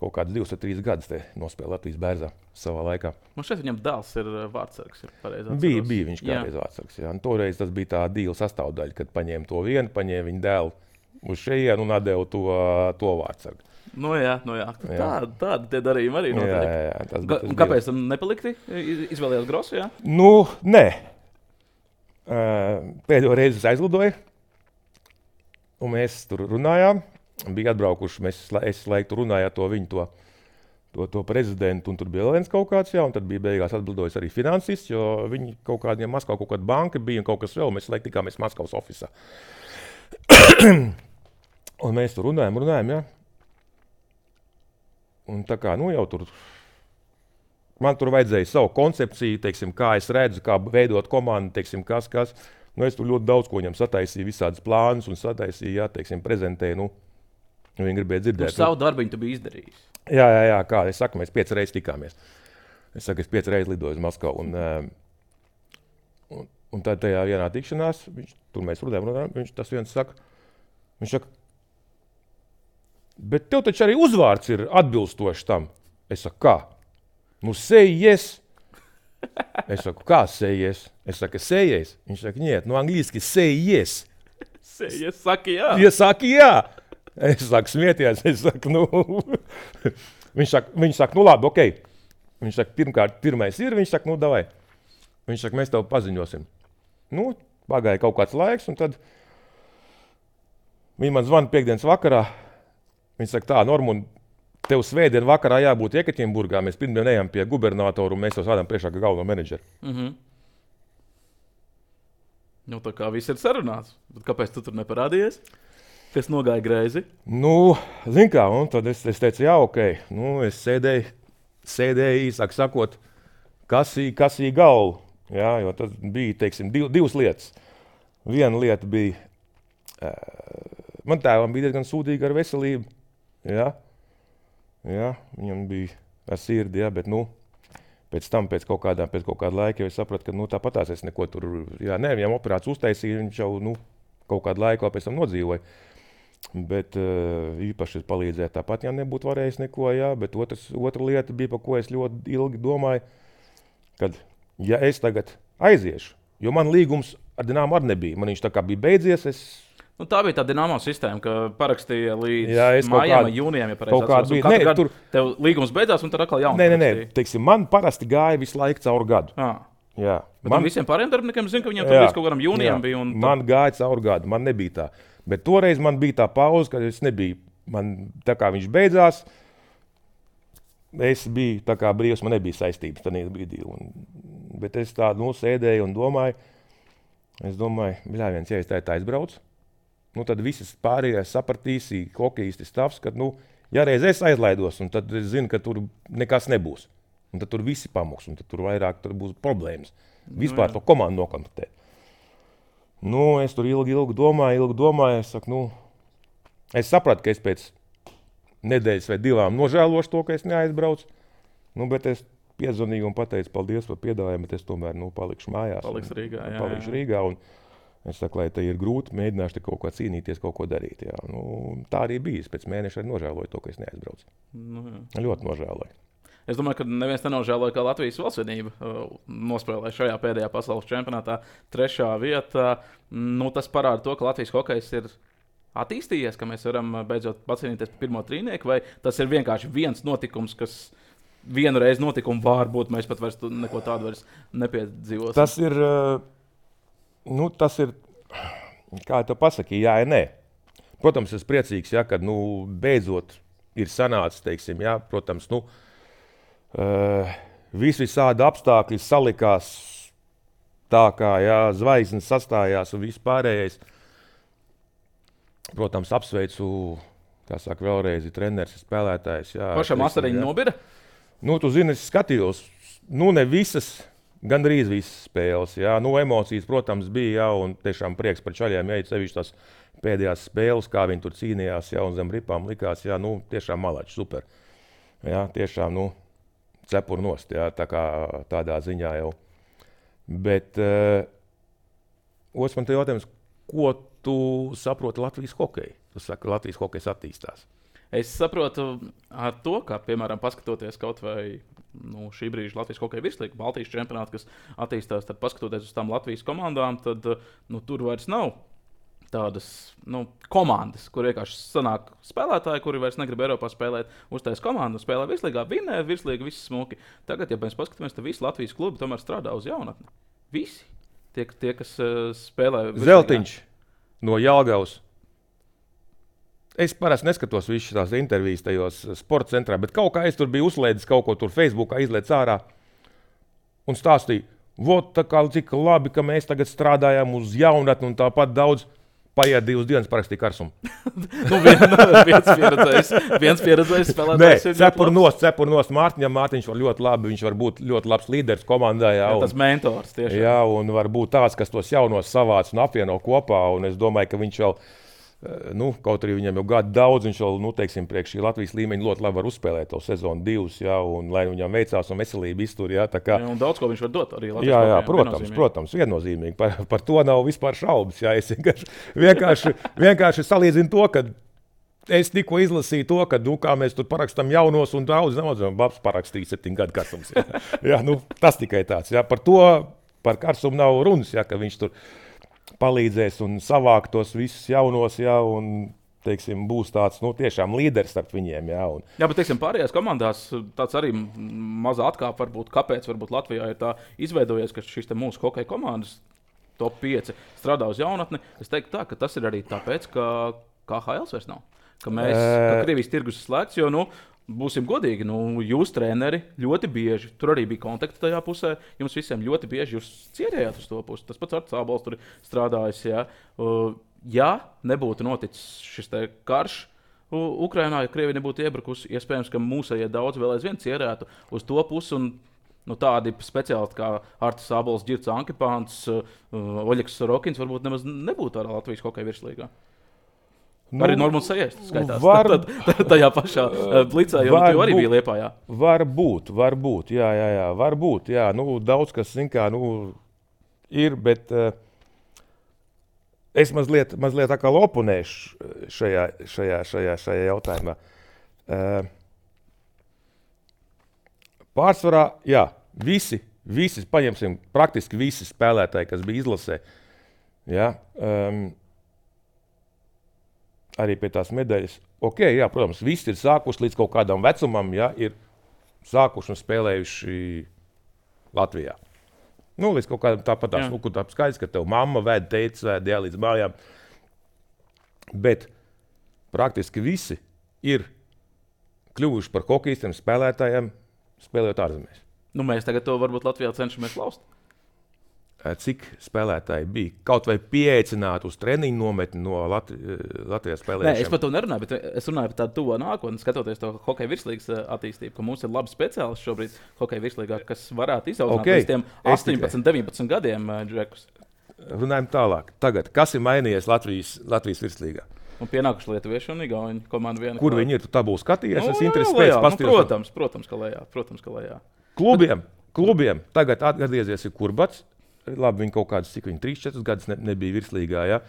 kaut kāds divus vai trīs gadus te nospēlē Latvijas Bērzā savā laikā. Man šeit viņam dēls ir vārdsargs, ir pareizi atceros. Bija, bija viņš kādreiz vārdsargs, jā. Un toreiz tas bija tā dīla sastāvdaļa, kad paņēma to vienu, paņēma viņu dēlu uz šejienu un atdeva to, to vārdsargu. Nu jā, nu jā. Tā, tādi tie darījumi arī notiek. Jā, jā, jā, tas, tas kāpēc tam nepalikti? Izvēlējās Grosu, jā? Nu, nē. Pēdējo reizi es aizlidoju, un mēs tur runājām. Bija atbraukuši, mēs es laiku runājām to viņu, to, to, to prezidentu, un tur bija viens kaut kāds, jā, un tad bija beigās atbildojis arī finansists, jo viņi kaut kādiem Maskavā kaut kāda banka bija un kaut kas vēl, mēs laiku tikāmies Maskavas ofisā. Un mēs tur runājam, runājam, jā. Un tā kā, nu jau tur, man tur vajadzēja savu koncepciju, teiksim, kā es redzu, kā veidot komandu, teiksim, kas, kas. Nu, es tur ļoti daudz ko viņam sataisīju, visādas plānus un sataisīju, jā, teiksim, prezentēju, nu, viņi gribēja dzirdēt. Uz savu darbiņu tu biji izdarījis. Jā, jā, jā, kā es saku, mēs piecas reizes tikāmies. Es saku, es piecas reizes lidoju uz Maskavu. Un, un, un tad tajā vienā tikšanās, viņš, tur mēs runājam, runājam, viņš tas viens saka, viņš saka, bet tev taču arī uzvārds ir atbilstošs tam. Es saku, kā? Nu, say yes. Es saku, kā say yes? Es saku, say yes. Viņš saka, niet, nu angliski say yes. Say yes, saki jā. Ja saki jā. Es saku, smieties, es saku, nu. viņš saka, viņš saka, nu labi, okei. Okay. Viņš saka, pirmkārt, pirmais ir, viņš saka, nu davai. Viņš saka, mēs tev paziņosim. Nu, pagāja kaut kāds laiks, un tad viņi man zvana piekdienas vakarā. Viņi saka, tā, Normund, tev svētdien vakarā jābūt Jekaķinburgā, mēs pirmdien ejam pie gubernatoru, un mēs jau sādām priekšā kā galveno menedžeru. Mhm. Nu, tā kā viss ir sarunāts. Bet kāpēc tu tur neparādījies? Kas nogāja greizi? Nu, zin kā, un tad es, es teicu, jā, ok. Nu, es sēdēju, sēdēju īsāk sakot, kasīju, kasīju galvu. Jā, jo tas bija, teiksim, div, divas lietas. Viena lieta bija, uh, man tēvam bija diezgan sūdīga ar veselību. Jā, jā, viņam bija ar sirdi, jā, bet, nu, pēc tam, pēc kaut kādā, pēc kaut kāda laika, jau es sapratu, ka, nu, tāpatās es neko tur, jā, ne, viņam operāciju uztaisīja, viņš jau, nu, kaut kādu laiku vēl pēc tam nodzīvoja. Bet uh, īpaši es palīdzēju, tāpat jau nebūtu varējis neko, jā, bet otrs, otra lieta bija, par ko es ļoti ilgi domāju, kad, ja es tagad aiziešu, jo man līgums ar Dinamo arī nebija, man viņš tā kā bija beidzies, es... Nu, tā bija tā Dinamo sistēma, ka parakstīja līdz jā, mājām vai jūnijām, ja pareizi atceros. Nē, gadu tur... tev līgums beidzās un tad atkal jaunu Nē, nē, nē, parakstīja. teiksim, man parasti gāja visu laiku cauri gadu. Ah. Jā. Bet man visiem pārējiem darbiniekiem zinu, ka viņiem tur līdz kaut kādam jūnijam bija. Un... Man gāja cauri gadu, man nebija tā. Bet toreiz man bija tā pauze, kad es nebiju, man tā kā viņš beidzās, es biju tā kā brīvs, man nebija saistības tādā brīdī. Un, bet es tā, nu, sēdēju un domāju, es domāju, bļā, viens, ja es tā, tā aizbraucu, nu, tad visas pārējās sapratīs, hokejisti stāvs, ka, nu, ja reiz es aizlaidos, un tad es zinu, ka tur nekas nebūs. Un tad tur visi pamoks, un tad tur vairāk tur būs problēmas. Vispār nu, to komandu nokontaktēt. Nu, es tur ilgi, ilgi domāju, ilgi domāju, es saku, nu, es sapratu, ka es pēc nedēļas vai divām nožēlošu to, ka es neaizbraucu, nu, bet es piezvanīju un pateicu paldies par piedāvājumu, bet es tomēr, nu, palikšu mājās. Paliks Rīgā, jā, palikšu jā. Rīgā, un es saku, lai te ir grūti, mēģināšu te kaut ko cīnīties, kaut ko darīt, jā. Nu, tā arī bija, es pēc mēneša arī nožēloju to, ka es neaizbraucu. Nu, jā. Ļoti nožēloju. Es domāju, ka neviens nenožēloja, ka Latvijas valstsvienība uh, nospēlēja šajā pēdējā pasaules čempionātā trešā vietā. Nu, tas parāda to, ka Latvijas hokejs ir attīstījies, ka mēs varam beidzot pacīnīties par pirmo trīnieku, vai tas ir vienkārši viens notikums, kas vienu reizi notika un varbūt mēs pat vairs neko tādu vairs nepiedzīvosim. Tas ir, nu, tas ir, kā tu pasaki, jā, nē. Protams, es priecīgs, ja, kad, nu, beidzot ir sanācis, teiksim, jā, protams, nu, Uh, visi visādi apstākļi salikās tā, kā jā, zvaigznes sastājās un viss pārējais. Protams, apsveicu, kā saka, vēlreiz treneris, spēlētājs. Jā, pašam asariņu nobira? Nu, tu zini, es skatījos, nu, ne visas, gandrīz visas spēles. Jā. Nu, emocijas, protams, bija, jā, un tiešām prieks par čaļiem, ja sevišķi tās pēdējās spēles, kā viņi tur cīnījās, jā, un zem ripām likās, jā, nu, tiešām malači, super. Jā, tiešām, nu, cepur nost, jā, tā kā tādā ziņā jau. Bet uh, otrs man te jautājums, ko tu saproti Latvijas hokeju? Tu saki, ka Latvijas hokejs attīstās. Es saprotu ar to, ka, piemēram, paskatoties kaut vai nu, šī brīža Latvijas hokeja virslīga, Baltijas čempionāta, kas attīstās, tad paskatoties uz tām Latvijas komandām, tad nu, tur vairs nav tādas nu, komandas, kur vienkārši sanāk spēlētāji, kuri vairs negrib Eiropā spēlēt, uztais komandu, spēlē virslīgā, vinnē virslīga, visi smuki. Tagad, ja mēs paskatāmies, tad visi Latvijas klubi tomēr strādā uz jaunatni. Visi. Tie, tie kas uh, spēlē virslīgā. Zeltiņš no Jelgavas. Es parasti neskatos visas tās intervijas tajos sporta centrā, bet kaut kā es tur biju uzlēdis kaut ko tur Facebookā, izlēdis ārā un stāstīju, vot tā kā cik labi, ka mēs tagad strādājam uz jaunatni un tāpat daudz. Paiet divas dienas, parakstīja Karsumu. nu, vien, viens pieredzējis, viens pieredzējis spēlētājs. Nē, cepur nost, cepur nost Mārtiņam. Mārtiņš var ļoti labi, viņš var būt ļoti labs līderis komandā. Jā, jā, un, tas mentors tiešām. Jā, un var būt tāds, kas tos jaunos savāc un apvieno kopā. Un es domāju, ka viņš vēl, nu, kaut arī viņam jau gadu daudz, viņš vēl, nu, teiksim, priekš šī Latvijas līmeņa ļoti labi var uzspēlēt to sezonu divus, jā, un lai viņam veicās un veselība iztur, jā, tā kā. Jā, un daudz ko viņš var dot arī Latvijas jā, jā, hokejam, protams, viennozīmīgi. protams, viennozīmīgi. Par, par to nav vispār šaubas, jā, es vienkārši, vienkārši, vienkārši salīdzinu to, ka es tikko izlasīju to, ka, nu, kā mēs tur parakstam jaunos un daudz, daudz, un babs parakstīja septiņu gadu Karsums, jā. jā, nu, tas tikai tāds, jā, par to, par Karsumu nav runas, jā, ka viņš tur palīdzēs un savākt tos visus jaunos, jā, un, teiksim, būs tāds, nu, tiešām līderis starp viņiem, jā. Un... Jā, bet, teiksim, pārējās komandās tāds arī mazā atkāpa varbūt, kāpēc varbūt Latvijā ir tā izveidojies, ka šis te mūsu hokeja komandas top pieci strādā uz jaunatni. Es teiktu tā, ka tas ir arī tāpēc, ka K H L vairs nav. Ka mēs, ka Krievijas tirgus ir slēgts, jo, nu, būsim godīgi, nu, jūs treneri ļoti bieži, tur arī bija kontakti tajā pusē, jums visiem ļoti bieži jūs cierējāt uz to pusi. Tas pats Arts Ābols tur strādājis, jā. Uh, ja nebūtu noticis šis te karš Ukrainā, ja Krievija nebūtu iebrukusi, iespējams, ka mūsējie daudz vēl aizvien cierētu uz to pusi un nu, tādi speciālisti kā Artis Ābols, Girts Ankipāns, uh, Oļegs Sorokins varbūt nemaz nebūtu ar Latvijas hokeja virslīgā. Nu, arī Normons Sajēs skaitās var, tad, tad, tajā pašā uh, blicā, jo tu arī būt, bija Liepājā. Var būt, var būt, jā, jā, jā, var būt, jā. Nu, daudz kas, zin kā, nu, ir, bet uh, es mazliet, mazliet atkal oponēšu šajā, šajā, šajā, šajā jautājumā. Uh, Pārsvarā, jā, visi, visi, paņemsim praktiski visi spēlētāji, kas bija izlasē, jā, um, arī pie tās medaļas. Ok, jā, protams, visi ir sākuši līdz kaut kādam vecumam, jā, ir sākuši un spēlējuši Latvijā. Nu, līdz kaut kādam tāpatās, nu, kur tā skaidrs, ka tev mamma vēd, teica vēd, jā, līdz mājām. Bet praktiski visi ir kļuvuši par hokejistiem, spēlētājiem, spēlējot ārzemēs. Nu, mēs tagad to varbūt Latvijā cenšamies laust. Cik spēlētāji bija? Kaut vai pieaicināt uz treniņu nometni no Latvi- Latvijas spēlējušiem? Nē, es par to nerunāju, bet es runāju par tādu tuvo nākotni, skatoties to hokeja virslīgas attīstību, ka mums ir labi speciālisti šobrīd hokeja virslīgā, kas varētu izaudzināt okay. līdz tiem astoņpadsmit, deviņpadsmit gadiem džekus. Runājam tālāk. Tagad, kas ir mainījies Latvijas, Latvijas virslīgā? Un pienākuši lietuvieši un igauņi komanda viena. Kur viņi ir? Tu tā būs skatījies? Nu, es interesi pēc nu, pastīros. protams, protams, ka lejā. Protams, ka lejā. Klubiem, klubiem tagad atgriezies ir Kurbats. Labi, viņi kaut kādas, cik viņi trīs četras gadus ne, nebija virslīgā. Ja?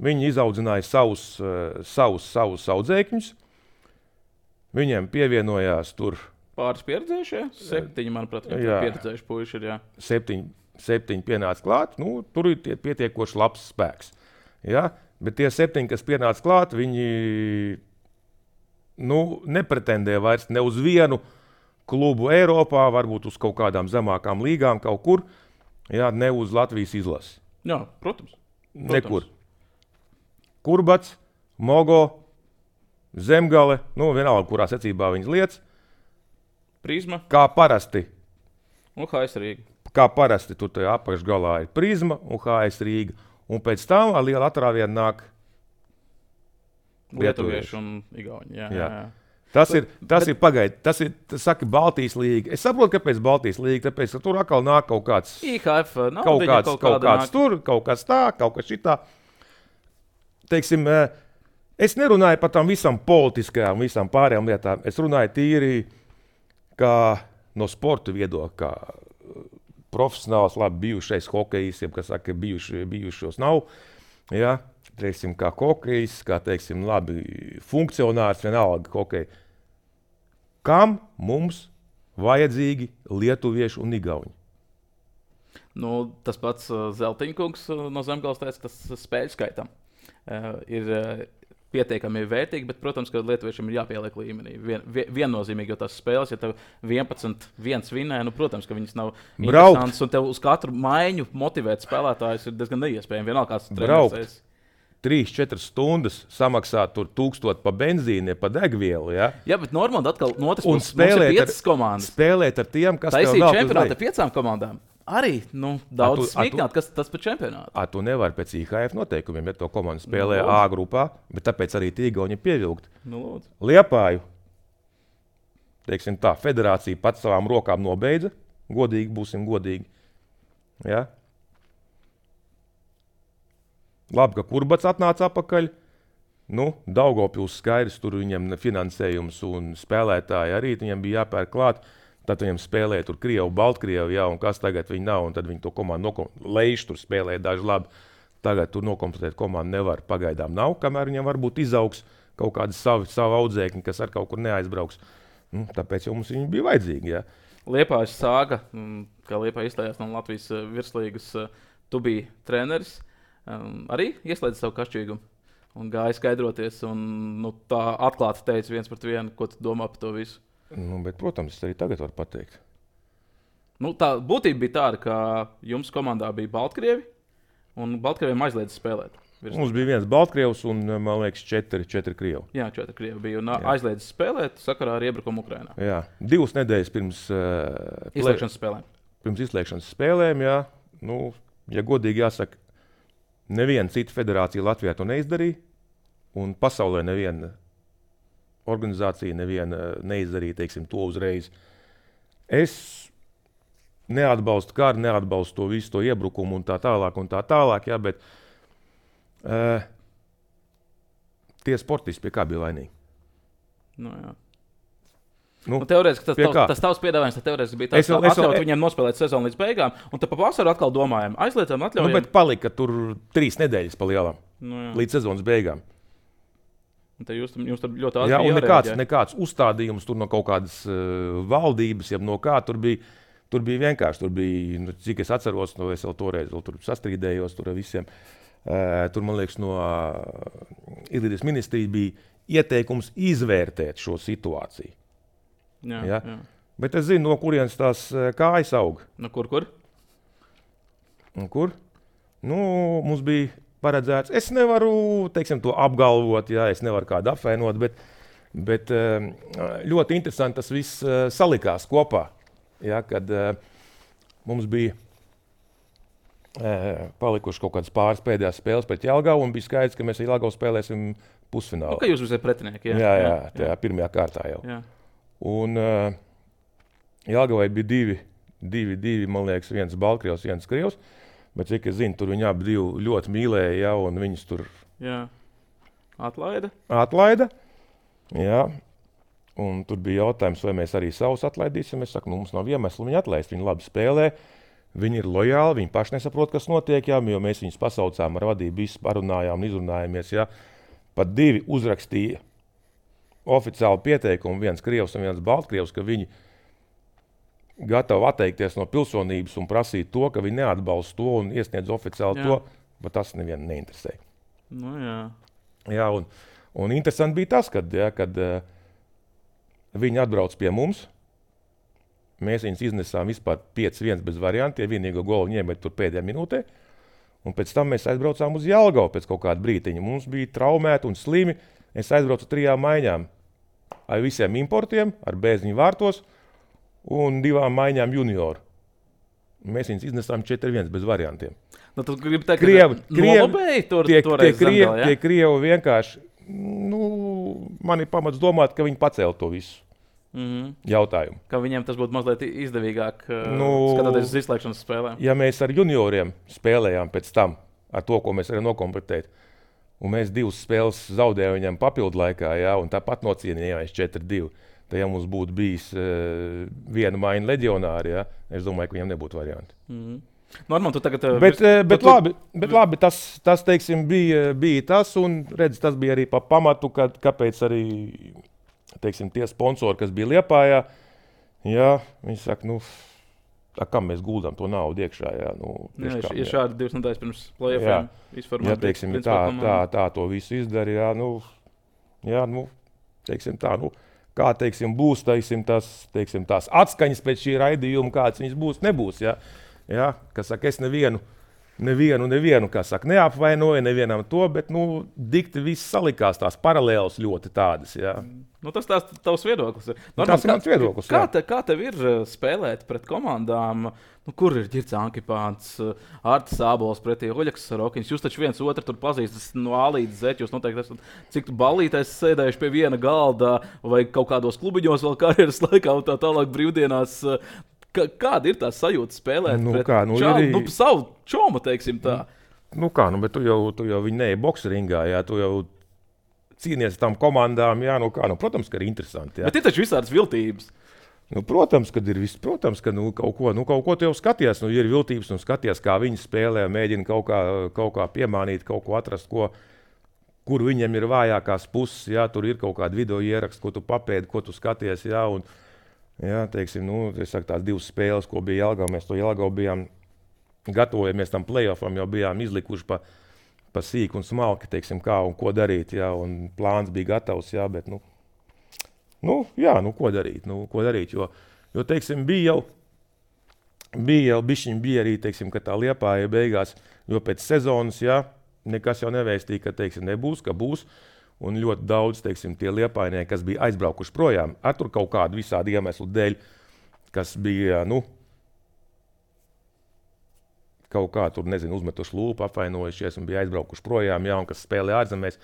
Viņi izaudzināja savus, uh, savus, savus audzēkņus. Viņiem pievienojās tur pāris pieredzējušie. Septiņi, manuprāt, pieredzējuši puiši ir, jā. Septiņi, septiņi pienāca klāt. Nu, tur ir tie pietiekoši labs spēks. Ja? Bet tie septiņi, kas pienāca klāt, viņi nu, nepretendē vairs ne uz vienu klubu Eiropā, varbūt uz kaut kādām zemākām līgām kaut kur, jā, ne uz Latvijas izlasi. Jā, protams. protams. Nekur. Kurbats, Mogo, Zemgale, nu vienalga, kurā secībā viņas lietas. Prizma. Kā parasti. Un H S Rīga. Kā parasti tur tajā apakšgalā ir Prizma un H S Rīga. Un pēc tam ar lielu atrāvienu nāk lietuvieši un igauņi. Jā, jā. Jā. Tas ir, tas bet, ir pagaidi, tas ir, tas saka, Baltijas līga. Es saprotu, kāpēc Baltijas līga, tāpēc, ka tur atkal nāk kaut kāds, I H F, nav, kaut kāds, kaut kaut kāds tur, kaut kas tā, kaut kas šitā. Teiksim, es nerunāju par tām visām politiskajām, visām pārējām lietām. Es runāju tīri kā no sporta viedokļa, kā profesionāls, labi bijušais hokejistiem, kas saka, ka bijuši, bijušos nav. Ja? Teiksim, kā hokejists, kā teiksim, labi funkcionārs, vienalga hokeja. Kam mums vajadzīgi lietuvieši un igauņi? Nu, tas pats uh, Zeltiņkungs uh, no Zemgales teica, ka tas spēļu skaitam uh, ir uh, pietiekami vērtīgi, bet, protams, ka lietuviešiem ir jāpieliek līmenī. Vien, vien, viennozīmīgi, jo tās spēles, ja tev vienpadsmit viens vinē, nu, protams, ka viņas nav Braukt. interesantas, un tev uz katru maiņu motivēt spēlētājus ir diezgan neiespējami. Vienalga, kāds treneris. trīs četras stundas samaksāt tur tūkstot pa benzīni, pa degvielu, ja? Jā, bet normāli atkal no otras un puses mums ir piecas ar, komandas. Spēlēt ar tiem, kas taisīt tev nav čempionātu ar piecām komandām. Arī, nu, daudz smīknāt, kas tas par čempionātu. A, tu nevar pēc I H F noteikumiem, ja to komandu spēlē nu, A grupā, bet tāpēc arī tīgauņi pievilkt. Nu, lūdzu. Liepāju, teiksim tā, federācija pats savām rokām nobeidza, godīgi, būsim godīgi. Ja? Labi, ka Kurbats atnāca apakaļ. Nu, Daugavpils skaidrs, tur viņam finansējums un spēlētāji arī viņam bija jāpērk klāt. Tad viņam spēlēja tur Krievu, Baltkrievu, jā, un kas tagad viņi nav, un tad viņi to komandu nokompletēt. Leiš tur spēlēja daži labi. Tagad tur nokompletēt komandu nevar, pagaidām nav, kamēr viņam varbūt izaugs kaut kādi savi, savi audzēkņi, kas ar kaut kur neaizbrauks. Nu, tāpēc jau mums viņi bija vajadzīgi, jā. Liepājas sāga, kā Liepāja izstājās no Latvijas virslīgas, tu biji treneris, arī ieslēdzi savu kašķīgumu un gāja skaidroties, un nu, tā atklāti teica viens pret vienu, ko tu domā par to visu. Nu, bet, protams, es arī tagad varu pateikt. Nu, tā būtība bija tāda, ka jums komandā bija Baltkrievi Un Baltkrieviem aizliedz spēlēt. Virs. Mums bija viens Baltkrievs un, man liekas, četri, četri Krievi. Jā, četri Krievi bija un aizliedz spēlēt sakarā ar iebrukumu Ukrainā. Jā, divas nedēļas pirms uh, izslēgšanas spēlēm. Pirms izslēgšanas spēlēm, jā. Nu, ja godīgi jāsaka, neviena cita federācija Latvijā to neizdarīja, un pasaulē neviena organizācija neviena neizdarīja, teiksim, to uzreiz. Es neatbalstu karu, neatbalstu to visu to iebrukumu un tā tālāk un tā tālāk, jā, bet Uh, tie sportisti pie kā bija vainīgi? Nu, jā. Nu, nu, teorētiski tas, tavs, tas tavs piedāvājums teorētiski bija tāds, ka atļaut viņiem nospēlēt sezonu līdz beigām, un tad pa vasaru atkal domājam, aizliedzam, atļaujam. Nu, bet palika tur trīs nedēļas pa lielam, nu, jā. līdz sezonas beigām. Un te jūs, jums tur ļoti ātri jā, un jārēģē. nekāds, nekāds uzstādījums tur no kaut kādas uh, valdības, ja no kā tur bija, tur bija vienkārši, tur bija, nu, cik es atceros, no es vēl toreiz vēl tur sastrīdējos tur ar visiem. Uh, tur, man liekas, no uh, Izglītības ministrijas bija ieteikums izvērtēt šo situāciju. Jā, ja? jā. Bet es zinu, no kurienes tās uh, kājas aug. No kur, kur? Un kur? Nu, mums bija paredzēts, es nevaru, teiksim, to apgalvot, ja, es nevaru kādu apvainot, bet, bet uh, ļoti interesanti tas viss uh, salikās kopā, ja, kad uh, mums bija palikuši kaut kādas pāris pēdējās spēles pret Jelgavu, un bija skaidrs, ka mēs ar Jelgavu spēlēsim pusfinālu. Nu, ka jūs esat pretinieki, jā. Jā, jā, tajā jā. pirmajā kārtā jau. Jā. Un uh, Jelgavai bija divi, divi, divi, man liekas, viens Baltkrievs, viens Krievs, bet cik es zinu, tur viņi abi divi ļoti mīlēja, jā, un viņus tur jā. Atlaida. Atlaida, jā. Un tur bija jautājums, vai mēs arī savus atlaidīsim. Es saku, nu, mums nav iemeslu viņu atlaist, viņi labi spēlē. Viņi ir lojāli, viņi paši nesaprot, kas notiek, jā, jo mēs viņus pasaucām ar vadību, visi parunājām un izrunājāmies. Jā. Pat divi uzrakstīja oficiālu pieteikumu, viens Krievs un viens Baltkrievs, ka viņi gatavi atteikties no pilsonības un prasīt to, ka viņi neatbalsta to un iesniedz oficiāli jā. To, bet tas nevienu neinteresē. Nu, jā. Jā, un, un interesanti bija tas, kad, jā, kad uh, viņi atbrauc pie mums. Mēs viņus iznesām vispār pieci viens bez variantiem, vienīgo golu ņēmēt tur pēdējā minūtē. Un pēc tam mēs aizbraucām uz Jelgavu pēc kaut kāda brītiņa. Mums bija traumēti un slimi. Es aizbraucu trijām maiņām ar visiem importiem, ar bēziņu vārtos un divām maiņām junioru. Mēs viņus iznesām četri viens bez variantiem. Nu, tu gribi teikt, Krievi, ka nolobēji tur tie, toreiz tie krievi, zemgalē, ja? tie krievi vienkārši, nu, man ir pamats domāt, ka viņi pacēla to visu. Mm-hmm. Jautājumu. Ka viņiem tas būtu mazliet izdevīgāk, nu, skatoties uz izslēgšanas spēlēm. Ja mēs ar junioriem spēlējām pēc tam, ar to, ko mēs varam nokomplektēt, un mēs divas spēles zaudējām viņam papildu laikā, jā, un tāpat nocienījāmies četri divi, tad ja mums būtu bijis uh, viena maiņa leģionāri, jā, es domāju, ka viņam nebūtu varianti. Mm-hmm. Norman, tu tagad... Uh, bet, vis, bet, tu, labi, bet labi, tas, tas teiksim, bija, bija tas, un redz, tas bija arī pa pamatu, kad, kāpēc arī... Teiksim, tie sponsori, kas bija Liepājā, jā, viņi saka, nu, tā, kam mēs guldām to naudu iekšā, jā, nu, jā, kam, ja šādi divas nedēļas pirms play-offiem izformēt. Jā, teiksim, tā, tā, tā to visu izdara, jā, nu, jā, nu, teiksim tā, nu, kā, teiksim, būs, teiksim, tas, teiksim, tās atskaņas pēc šī raidījuma, kāds viņas būs, nebūs, jā, jā, kas saka, es nevienu, nevienu, nevienu, kā saka, neapvainoju, nevienam to, bet, nu, dikti viss salikās, tās paralēlas ļoti tādas, jā. Nu, tas tās tavs viedoklis. Norman, tas ir mans viedoklis, kā, te, kā tev ir spēlēt pret komandām, nu, kur ir Ģirds Ankipāns, Artis Ābols pretī Oļegs Sarokins? Jūs taču viens otru tur pazīstas no A līdz Z, jūs noteikti esat cik ballītais sēdējuši pie viena galda vai kaut kādos klubiņos vēl karjeras laikā un tā tālāk brīvdienās. Kā, kāda ir tā sajūta spēlēt nu, pret kā, nu, čālu, ir... nu, savu čomu, teiksim tā? Nu kā, nu, bet tu jau, tu jau viņi neej bokseringā, jā, tu jau cīnies tam komandām, jā, nu kā, nu, protams, ka ir interesanti, jā. Bet ir taču visādas viltības. Nu, protams, kad ir viss, protams, ka nu, kaut ko, nu, kaut ko tu jau skaties, nu, ir viltības un skaties, kā viņi spēlē, mēģina kaut kā, kaut kā piemānīt, kaut ko atrast, ko, kur viņiem ir vājākās puses, jā, tur ir kaut kāda video ieraksts, ko tu papēdi, ko tu skaties, jā, un, jā, teiksim, nu, es saku, tās divas spēles, ko bija Jelgava, mēs to Jelgavu bijām, gatavojamies tam play-offam, jau bijām izlikuši pa, pa sīku un smalki, teiksim, kā un ko darīt, jā, un plāns bija gatavs, jā, bet, nu, nu, jā, nu, ko darīt, nu, ko darīt, jo, jo, teiksim, bija jau, bija jau bišķiņ, bija arī, teiksim, ka tā Liepāja beigās, jo pēc sezonas, jā, nekas jau nevēstīja, ka, teiksim, nebūs, ka būs. Un ļoti daudz, teiksim, tie Liepainieki, kas bija aizbraukuši projām, ar tur kaut kādu visādi iemeslu dēļ, kas bija, nu, kaut kā tur, nezinu, uzmetuši lūpu, apvainojušies un bija aizbraukuši projām, jā, un kas spēlē ārzemēs.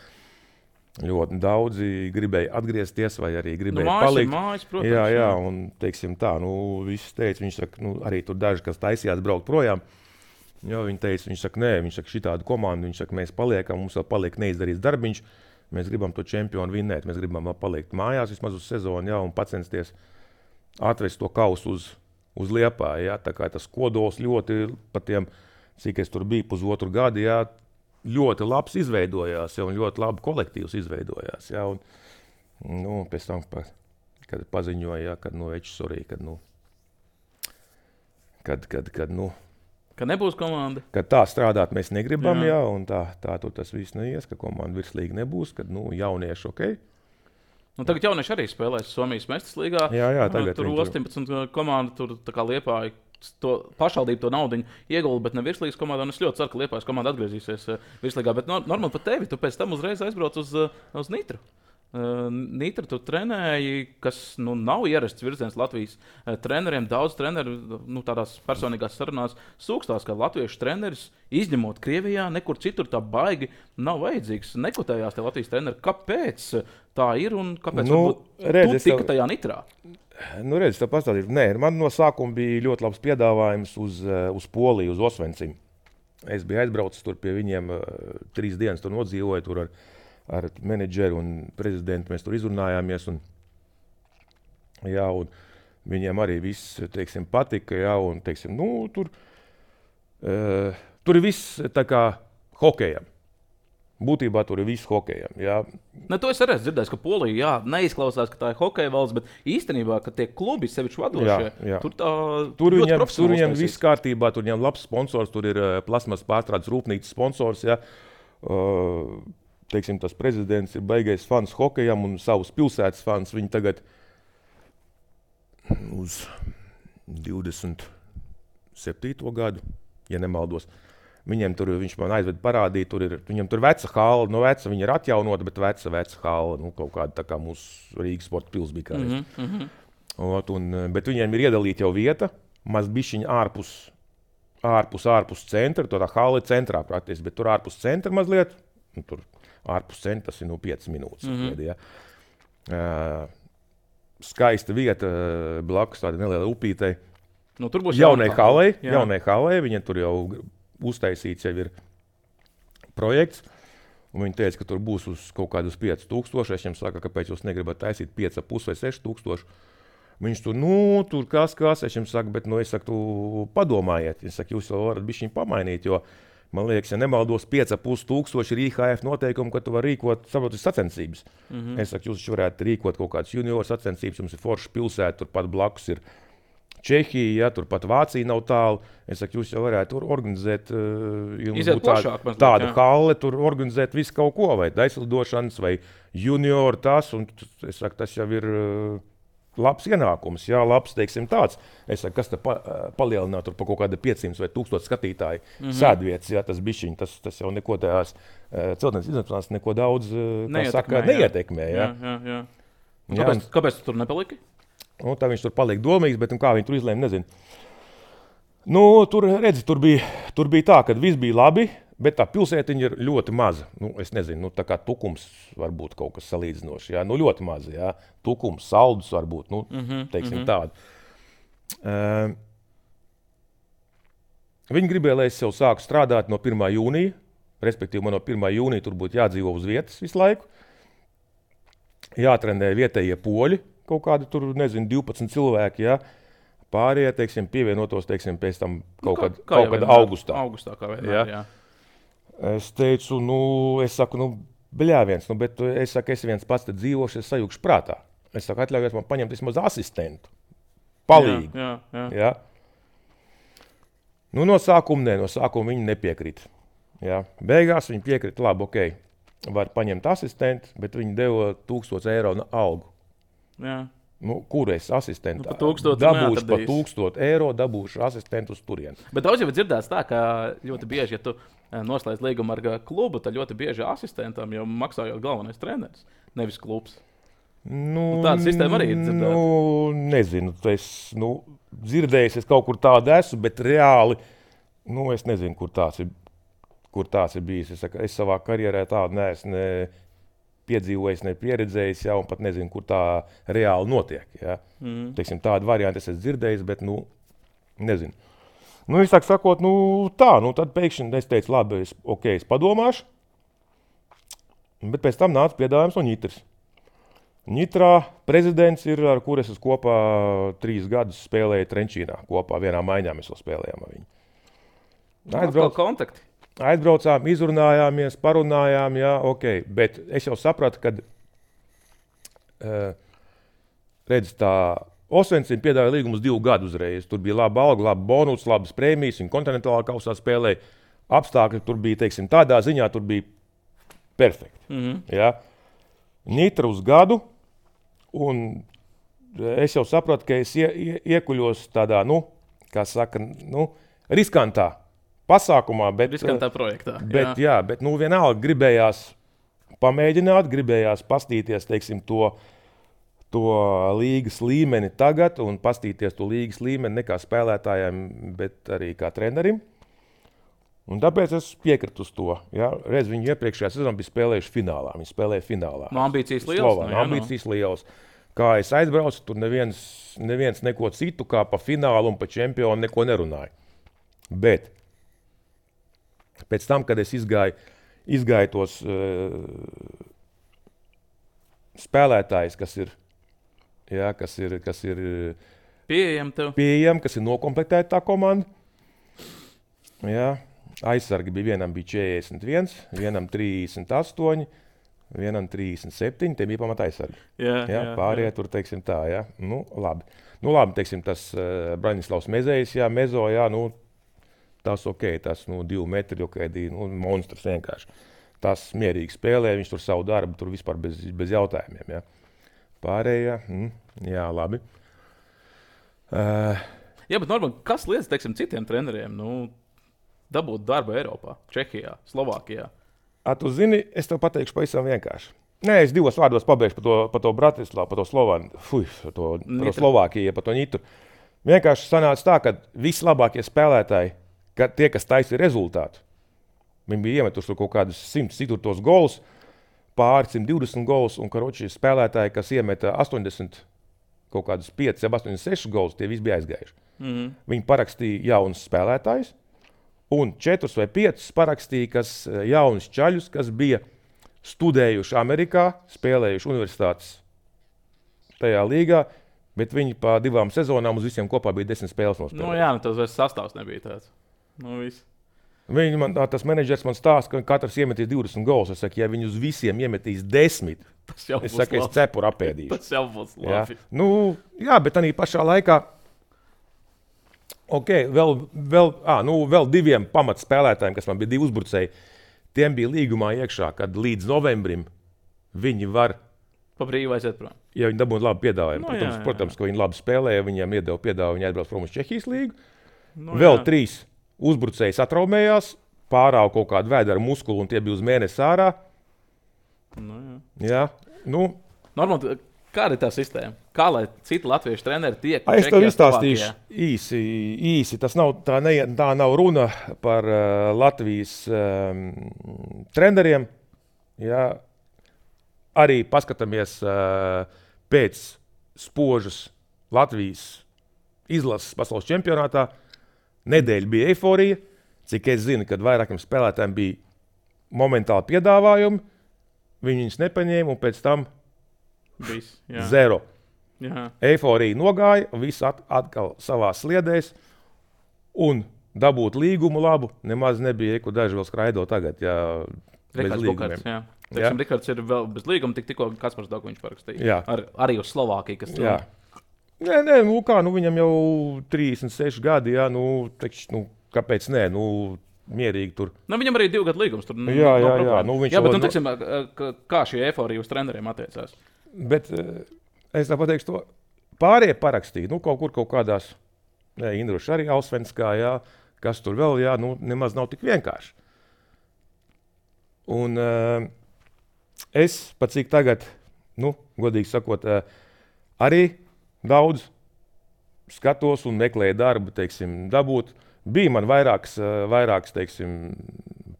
Ļoti daudzi gribēja atgriezties vai arī gribēja nu, mājas palikt. Mājas, protams, jā, jā, un, teiksim, tā, nu, viss teica, viņš saka, nu, arī tur daži, kas taisījās braukt projām, jā, viņi teica, viņš saka, nē, viņš saka, šitādu komandu, viņš saka, mēs paliekam, mums vēl paliek neizdarīts darbiņš. Mēs gribam to čempionu vinnēt, mēs gribam palikt mājās vismaz uz sezonu, jā, un pacensties atvest to kausu uz, uz Liepāju. Jā. Tā kā tas kodols ļoti, pat tiem, cik es tur biju pusotru gadu, jā, ļoti labs izveidojās, jā, un ļoti labi kolektīvs izveidojās. Jā, un, nu, pēc tam, kad paziņoja, jā, kad no Ečs arī, kad, nu, kad, kad, kad, nu, Ka nebūs komanda. Kad tā strādāt mēs negribam, jā, jā un tā, tā tur tas viss neies, ka komanda virslīga nebūs, kad, nu, jaunieši ok. Nu, tagad jaunieši arī spēlēs Somijas Mestas līgā. Jā, jā, tagad tur astoņpadsmit komanda, tur tā kā Liepāja to pašvaldību to naudiņu iegulda, bet ne virslīgas komanda, un es ļoti ceru, ka Liepājas komanda atgriezīsies virslīgā, bet normāli pat tevi, tu pēc tam uzreiz aizbrauc uz, uz Nitru. Uh, Nitra tu trenēji, kas nu, nav ierasts virziens Latvijas uh, treneriem. Daudz treneru nu, tādās personīgās sarunās sūkstās, ka latviešu treneris, izņemot Krievijā, nekur citur tā baigi nav vajadzīgs. Nekotējās tie Latvijas treneri. Kāpēc tā ir un kāpēc nu, redz, tu tika tajā Nitrā? Nu, redz, tā pastāstīt. Nē, man no sākuma bija ļoti labs piedāvājums uz, uz Poliju, uz Osvencim. Es biju aizbraucis tur pie viņiem uh, trīs dienas, tur nodzīvoju tur ar ar menedžeru un prezidentu mēs tur izrunājāmies. Un, jā, un viņiem arī viss, teiksim, patika. Jā, un, teiksim, nu, tur, uh, tur ir viss tā kā hokejam. Būtībā tur ir viss hokejam. Jā. Ne, to es arī esmu dzirdējis, ka Polija jā, neizklausās, ka tā ir hokeja valsts, bet īstenībā, ka tie klubi sevišķi vadošie, jā, jā. tur tā tur ļoti viņam, profesionāli tur viņam viss kārtībā, tur viņam labs sponsors, tur ir uh, plasmas pārstrādes rūpnīcas sponsors, jā. Uh, Teiksim, tas prezidents ir baigais fans hokejam un savus pilsētas fans. Viņi tagad uz divdesmit septīto gadu, ja nemaldos, viņiem tur, viņš man aizved parādīt, tur ir, viņam tur veca hala, no veca, viņa ir atjaunota, bet veca, veca hala, nu, kaut kāda tā kā mūsu Rīgas sporta pils bija kādreiz. Mm -hmm. Ot, un, bet viņiem ir iedalīta jau vieta, maz bišķiņa ārpus, ārpus, ārpus centra, to tā hala ir centrā praktiski, bet tur ārpus centra mazliet, nu, tur ārpus centra tas ir nu piecas minūtes. Mm -hmm. ja. uh, skaista vieta blakus tāda neliela upītei. Nu, tur būs jaunai halei, jā. jaunai halei, viņiem tur jau uztaisīts jau ir projekts. Un viņi teica, ka tur būs uz kaut kādus pieci tūkstoši. Es viņam saka, kāpēc jūs negribat taisīt pieci ar pus vai seši tūkstoši. Viņš tur, nu, tur kas, kas. Es viņam saku, bet, nu, es saku, tu padomājiet. Es saku, jūs jau varat bišķiņ pamainīt, jo man liekas, ja nemaldos, pieci ar pus tūkstoši ir I H F noteikumi, ka tu vari rīkot saprotas sacensības. Mm -hmm. Es saku, jūs varētu rīkot kaut kādas junioru sacensības, jums ir forša pilsēta, turpat blakus ir Čehija, ja, turpat Vācija nav tālu. Es saku, jūs jau varētu organizēt uh, jums plašāk, tādu, tādu halli, tur organizēt visu kaut ko, vai daislidošanas, vai junioru tas, un es saku, tas jau ir uh, labs ienākums, jā, labs, teiksim, tāds. Es saku, kas te pa, palielināt tur pa kaut kāda piecsimt vai tūkstoši skatītāju mm -hmm. sēdvietas, jā, tas bišķiņ, tas, tas jau neko tajās uh, celtnes izņemšanās neko daudz, uh, kā saka, neietekmē, jā. jā, jā, jā. Kāpēc, jā. Kāpēc tu tur nepaliki? Nu, tā viņš tur palika domīgs, bet kā viņi tur izlēma, nezinu. Nu, tur, redzi, tur bija, tur bija tā, ka viss bija labi, bet tā pilsētiņa ir ļoti maza. Nu, es nezinu, nu, tā kā Tukums var būt kaut kas salīdzinošs, jā, nu, ļoti maza, jā. Tukums, Saldus var būt, nu, mm -hmm, teiksim mm -hmm. tādu. Uh, viņi gribēja, lai es jau sāku strādāt no pirmā jūnija, respektīvi man no pirmā jūnija tur būtu jādzīvo uz vietas visu laiku. Jātrenē vietējie poļi. Kaut kādi tur, nezinu, divpadsmit cilvēki, ja, pārējie, teiksim, pievienotos, teiksim, pēc tam kaut nu, kā, kad, kā kaut kad augustā. Augustā, kā vienmēr, jā. jā. Es teicu, nu, es saku, nu, bļāviens, nu, bet es saku, es viens pats te dzīvošu, es sajūkšu prātā. Es saku, atļaujiet man paņemt vismaz asistentu, palīgu. Jā, jā, jā. Ja. Nu, no sākuma ne, no sākuma viņi nepiekrita. Ja. Beigās viņi piekrita, labi, ok, var paņemt asistentu, bet viņi deva tūkstoš eiro algu. Jā. Nu, kur es asistentu? Nu, pa tūkstotu dabūšu pa neatradīsi. tūkstotu eiro, dabūšu asistentu uz turieni. Bet daudz jau ir dzirdēts tā, ka ļoti bieži, ja tu eh, noslēdz līgumu ar klubu, tad ļoti bieži asistentam jau maksājot galvenais treneris, nevis klubs. Nu, Nu, tāda sistēma arī ir dzirdēta. Nu, nezinu, es nu, dzirdēju, es kaut kur tādu esmu, bet reāli, nu, es nezinu, kur tās ir, kur tās ir bijis. Es, saku, es savā karjerā tādu neesmu ne piedzīvojis, ne pieredzējis, ja, un pat nezinu, kur tā reāli notiek. Ja. Mm. Teiksim, tādu variantu es esmu dzirdējis, bet, nu, nezinu. Nu, es saku, sakot, nu, tā, nu, tad pēkšņi es teicu, labi, es, ok, es padomāšu, bet pēc tam nāca piedāvājums no Ņitras. Ņitrā prezidents ir, ar kur es esmu kopā trīs gadus spēlēju Trenčīnā. Kopā vienā maiņā mēs vēl spēlējām ar viņu. Aizbrauc... kontakti. Aizbraucām, izrunājāmies, parunājām, jā, ok. Bet es jau sapratu, ka, uh, redz, tā Osvencim piedāvāja līgumu uz divu gadu uzreiz. Tur bija laba alga, laba bonus, labas prēmijas, viņa kontinentālā kausā spēlēja. Apstākļi tur bija, teiksim, tādā ziņā tur bija perfekti. Mm-hmm. Jā. Ņitra uz gadu, un es jau sapratu, ka es ie, ie, iekuļos tādā, nu, kā saka, nu, riskantā pasākumā, bet, Riskantā projektā. bet, jā. Jā, bet nu, vienalga gribējās pamēģināt, gribējās pastīties, teiksim, to, to līgas līmeni tagad un pastīties to līgas līmeni ne kā spēlētājiem, bet arī kā trenerim. Un tāpēc es piekrītu uz to. Ja? Reiz viņi iepriekšējā sezonā bija spēlējuši finālā. Viņi spēlēja finālā. No ambīcijas liels. Slovā, No, jā, ambīcijas no. liels. Kā es aizbraucu, tur neviens, neviens neko citu kā pa finālu un pa čempionu neko nerunāja. Bet pēc tam, kad es izgāju, izgāju tos uh, spēlētājus, kas ir, ja, kas ir, kas ir Pieejam tev. pieejami, kas ir nokomplektēta tā komanda. Ja. Aizsargi bija vienam bija četrdesmit viens, vienam trīsdesmit astoņi, vienam trīsdesmit septiņi. Tie bija pamat aizsargi. Jā, Ja, jā, pārējie jā. tur, teiksim tā, ja. Nu, labi. Nu, labi, teiksim, tas uh, Braņislavs Mezejs, jā, Mezo, jā, nu, tas ok, tas, nu, divi metri, ok, divi, nu, monstrs vienkārši. Tas mierīgi spēlē, viņš tur savu darbu, tur vispār bez, bez jautājumiem, jā. Pārējie, mm, jā, labi. Uh, Jā, bet normāli, kas liedz, teiksim, citiem treneriem, nu, dabūt darbu Eiropā, Čehijā, Slovākijā? A, tu zini, es tev pateikšu pavisam vienkārši. Nē, es divos vārdos pabeigšu par to, par to Bratislavu, par to Slovānu, fuj, par to, par to Slovākiju, par to Ņitru. Vienkārši sanāca tā, ka vislabākie spēlētāji, ka tie, kas taisīja rezultātu, viņi bija iemetuši kaut kādus simt citurtos golus, pāri simt divdesmit golus, un karoči spēlētāji, kas iemeta astoņdesmit kaut kādus pieci, astoņdesmit seši golus, tie visi bija aizgājuši. Mm-hmm. Viņi parakstīja jaunus spēlētājus, un četrus vai piecus parakstīja, kas jaunus čaļus, kas bija studējuši Amerikā, spēlējuši universitātes tajā līgā, bet viņi pa divām sezonām uz visiem kopā bija desmit spēles nospēlējuši. Nu, jā, nu, tas vairs sastāvs nebija tāds. Nu, viss. Viņi man, tas menedžers man stāsta, ka katrs iemetīs divdesmit golus. Es saku, ja viņi uz visiem iemetīs desmit, Tas jau es būs saku, es labi. cepuru apēdīšu. Tas jau būs Jā, labi. nu, jā, bet arī pašā laikā, ok, vēl, vēl, à, nu, vēl diviem pamatspēlētājiem, kas man bija divi uzbrucēji, tiem bija līgumā iekšā, kad līdz novembrim viņi var, Pa brīvu aiziet prom. ja viņi dabūtu labu piedāvājumu. Nu, Protams, jā, jā, jā. protams, ka viņi labi spēlēja, viņiem iedeva piedāvājumu, viņi aizbrauc prom uz Čehijas līgu. Nu, Vēl jā. trīs uzbrucēji satraumējās, pārāva kaut kādu vēdera muskulu, un tie bija uz mēnesi ārā. Nu, jā. Jā, nu, Normāli, kāda ir tā sistēma? Kā lai citi latviešu treneri tiek? es tev Čehijā, izstāstīšu Slovākijā? īsi. īsi. Tas nav, tā, ne, tā nav runa par uh, Latvijas um, treneriem. Jā. Arī paskatāmies uh, pēc spožas Latvijas izlases pasaules čempionātā. Nedēļa bija eiforija. Cik es zinu, kad vairākiem spēlētājiem bija momentāli piedāvājumi, viņi viņus nepaņēma un pēc tam Viss, jā. zero. Jā. Eiforija nogāja, viss at, atkal savā sliedēs, un dabūt līgumu labu nemaz nebija, ko daži vēl skraido tagad, jā, bez Rikards līgumiem. Bukarts, jā. Teiksim, Rikards ir vēl bez līguma, tik, tikko Kaspars Dokoviņš parakstīja. Jā. Ar, arī uz Slovākiju, kas Jā. Nē, nē, nu kā, nu viņam jau trīsdesmit seši gadi, jā, nu, tekš, nu kāpēc nē, nu, mierīgi tur. Nu, viņam arī ir divu gadu līgums. Tur, nu, Jā, nav jā, problēma. jā, nu, viņš jā, bet, jau- nu, teiksim, kā- kā šī eiforija uz treneriem attiecās? Bet eh, es tā pateikšu to, pārējie parakstīja, nu, kaut kur kaut kādās, ne, Indruši arī Alsvenskā, jā, kas tur vēl, jā, nu, nemaz nav tik vienkārši. Un uh, es, pat cik tagad, nu, godīgi sakot, uh, arī daudz skatos un meklēju darbu, teiksim, dabūt. Bija man vairāks, uh, vairāks teiksim,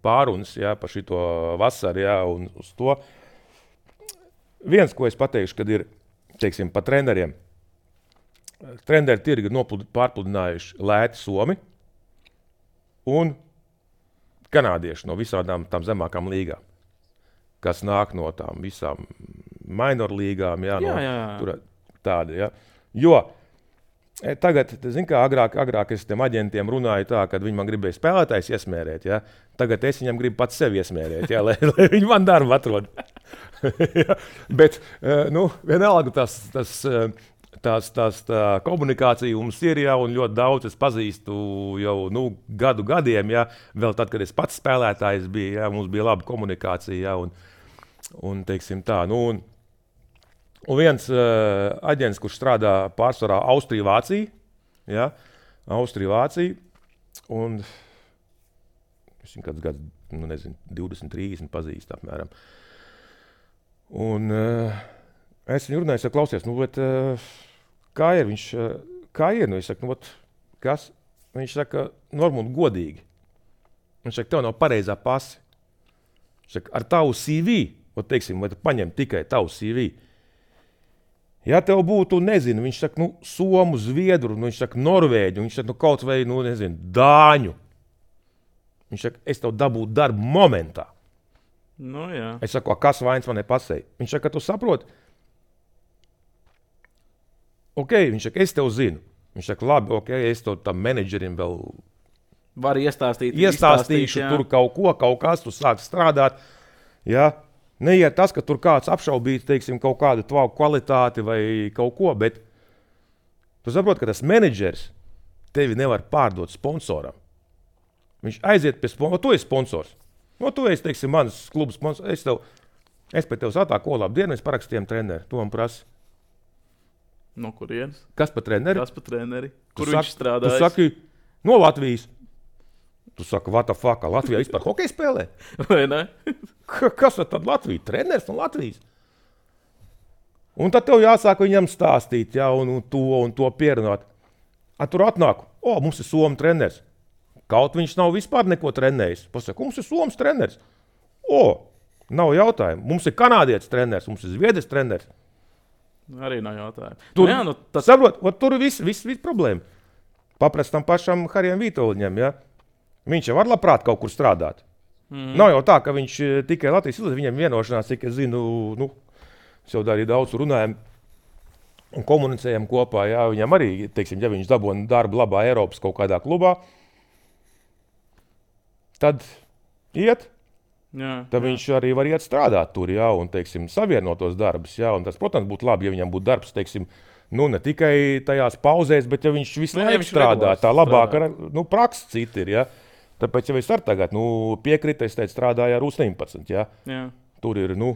pārunas, jā, par šito vasaru, jā, un uz to. Viens, ko es pateikšu, kad ir, teiksim, pa treneriem. Treneri tirgi ir pārpludinājuši lēti Somi un kanādieši no visādām tām zemākām līgām, kas nāk no tām visām minor līgām, jā, no jā, jā, jā. Tur tādi, jā. Jo tagad, zin kā, agrāk, agrāk es tiem aģentiem runāju tā, kad viņi man gribēja spēlētājs iesmērēt, jā. Tagad es viņam gribu pats sevi iesmērēt, jā, lai, lai viņi man darbu atrod. Bet, nu, vienalga tas, tas, tās, tās tā komunikācija mums ir, jā, un ļoti daudz es pazīstu jau, nu, gadu gadiem, jā, vēl tad, kad es pats spēlētājs biju, jā, mums bija laba komunikācija, jā, un, un teiksim tā, nu, un, un viens uh, aģents, kurš strādā pārsvarā Austrija-Vācija, jā, Austrija-Vācija, un es viņu kāds gads, nu, nezinu, divdesmit, trīsdesmit pazīst apmēram. Un uh, es viņu runāju, es saku, klausies, nu, bet uh, kā ir? Viņš, uh, kā ir? Nu, es saku, nu, ot, kas? Viņš saka, Normund, godīgi. Viņš saka, tev nav pareizā pasi. Viņš saka, ar tavu C V, ot, teiksim, vai tu paņem tikai tavu C V. Ja tev būtu, nezinu, viņš saka, nu, Somu, Zviedru, nu, viņš saka, Norvēģu, viņš saka, nu, kaut vai, nu, nezinu, Dāņu. Viņš saka, es tev dabūtu darbu momentā. Nu, jā. Es saku, kas vainas man nepasēja? Viņš saka, tu saproti? Ok, viņš saka, es tev zinu. Viņš saka, labi, ok, es tev tam menedžerim vēl var iestāstīt, iestāstīšu tur kaut ko, kaut kas, tu sāk strādāt. Ja? Neiet tas, ka tur kāds apšaubīt, teiksim, kaut kādu tvaku kvalitāti vai kaut ko, bet tu saproti, ka tas menedžers tevi nevar pārdot sponsoram. Viņš aiziet pie sponsora, tu esi sponsors. No, tu esi, teiksim, mans klubs sponsors. Es, tev, es pēc tev satāku, ko labi dienu, es parakstījām treneri. Tu man prasi. No kurienes? Kas pa treneri? Kas pa treneri? Kur tu viņš saki, strādājas? Tu saki, no Latvijas. Tu saki, what the fuck, Latvijā vispār hokeju spēlē? Vai ne? Kas tad Latvija? Treneris no Latvijas. Un tad tev jāsāk viņam stāstīt, jā, un, un to un to pierunāt. A, tur atnāk, o, mums ir Somu treneris. Kaut viņš nav vispār neko trenējis. Pasaka, mums ir Somas treneris. O, nav jautājumu. Mums ir kanādietis treneris, mums ir Zviedris treneris. Arī nav jautājumu. Tur, nu, jā, nu, tas... saprot, tur ir viss vis, vis problēma. Paprast tam pašam Harijam Vitoļņam, ja? Viņš jau var labprāt kaut kur strādāt. Mm. Nav jau tā, ka viņš tikai Latvijas izlaiž, viņam vienošanās, cik es zinu, nu, es jau arī daudz runājam un komunicējam kopā, jā, viņam arī, teiksim, ja viņš dabūna darbu labā Eiropas kaut kādā klubā, tad iet, jā, tad jā. viņš arī var iet strādāt tur, jā, un, teiksim, savienot tos darbus, jā, un tas, protams, būtu labi, ja viņam būtu darbs, teiksim, nu, ne tikai tajās pauzēs, bet ja viņš visu laiku strādā, tā labāka, nu, praksa cita ir, jā. Tāpēc, ja es ar tagad, nu, piekrita, es teicu, strādāju ar U astoņpadsmit, jā. Jā. Tur ir, nu,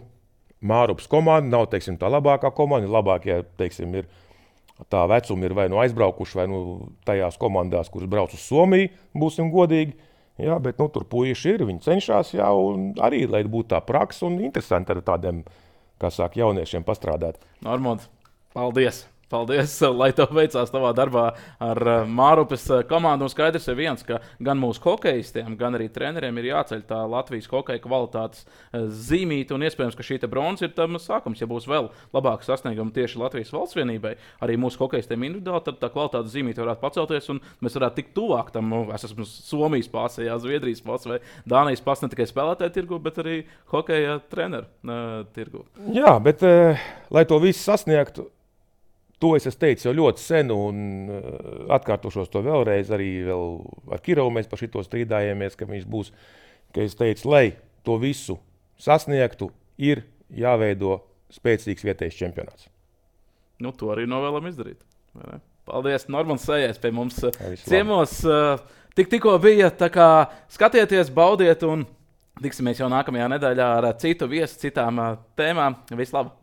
Mārupas komanda, nav, teiksim, tā labākā komanda, labākie, teiksim, ir tā vecumi ir vai nu aizbraukuši, vai nu tajās komandās, kuras brauc uz Somiju, būsim godīgi. Jā, bet nu, tur puiši ir, viņi cenšas, jā, un arī, lai būtu tā praksa un interesanti ar tādiem, kā sāk, jauniešiem pastrādāt. Normund, paldies! Paldies, lai tev veicās tavā darbā ar Mārupas komandu. Un skaidrs ir viens, ka gan mūsu hokejistiem, gan arī treneriem ir jāceļ tā Latvijas hokeja kvalitātes zīmīte. Un iespējams, ka šī bronza ir tam sākums. Ja būs vēl labāka sasnieguma tieši Latvijas valsts vienībai, arī mūsu hokejistiem individuāli, tad tā kvalitātes zīmīte varētu pacelties un mēs varētu tikt tuvāk tam. Nu, es esmu Somijas pasē, jā, Zviedrijas pasē vai Dānijas pasē ne tikai spēlētāju tirgu, bet arī hokeja treneru uh, tirgu. Jā, bet uh, lai to visu sasniegtu, to es esmu teicis jau ļoti sen, un uh, atkārtošos to vēlreiz. Arī vēl ar Kirovu mēs par šito strīdājāmies, ka viņš būs. Ka es teicu, lai to visu sasniegtu, ir jāveido spēcīgs vietējais čempionāts. Nu, to arī novēlam izdarīt. Paldies, Normunds Sējais pie mums ciemos. Uh, tik tikko bija, tā kā skatieties, baudiet, un tiksimies jau nākamajā nedēļā ar citu viesu, citām uh, tēmām. Vislabāk!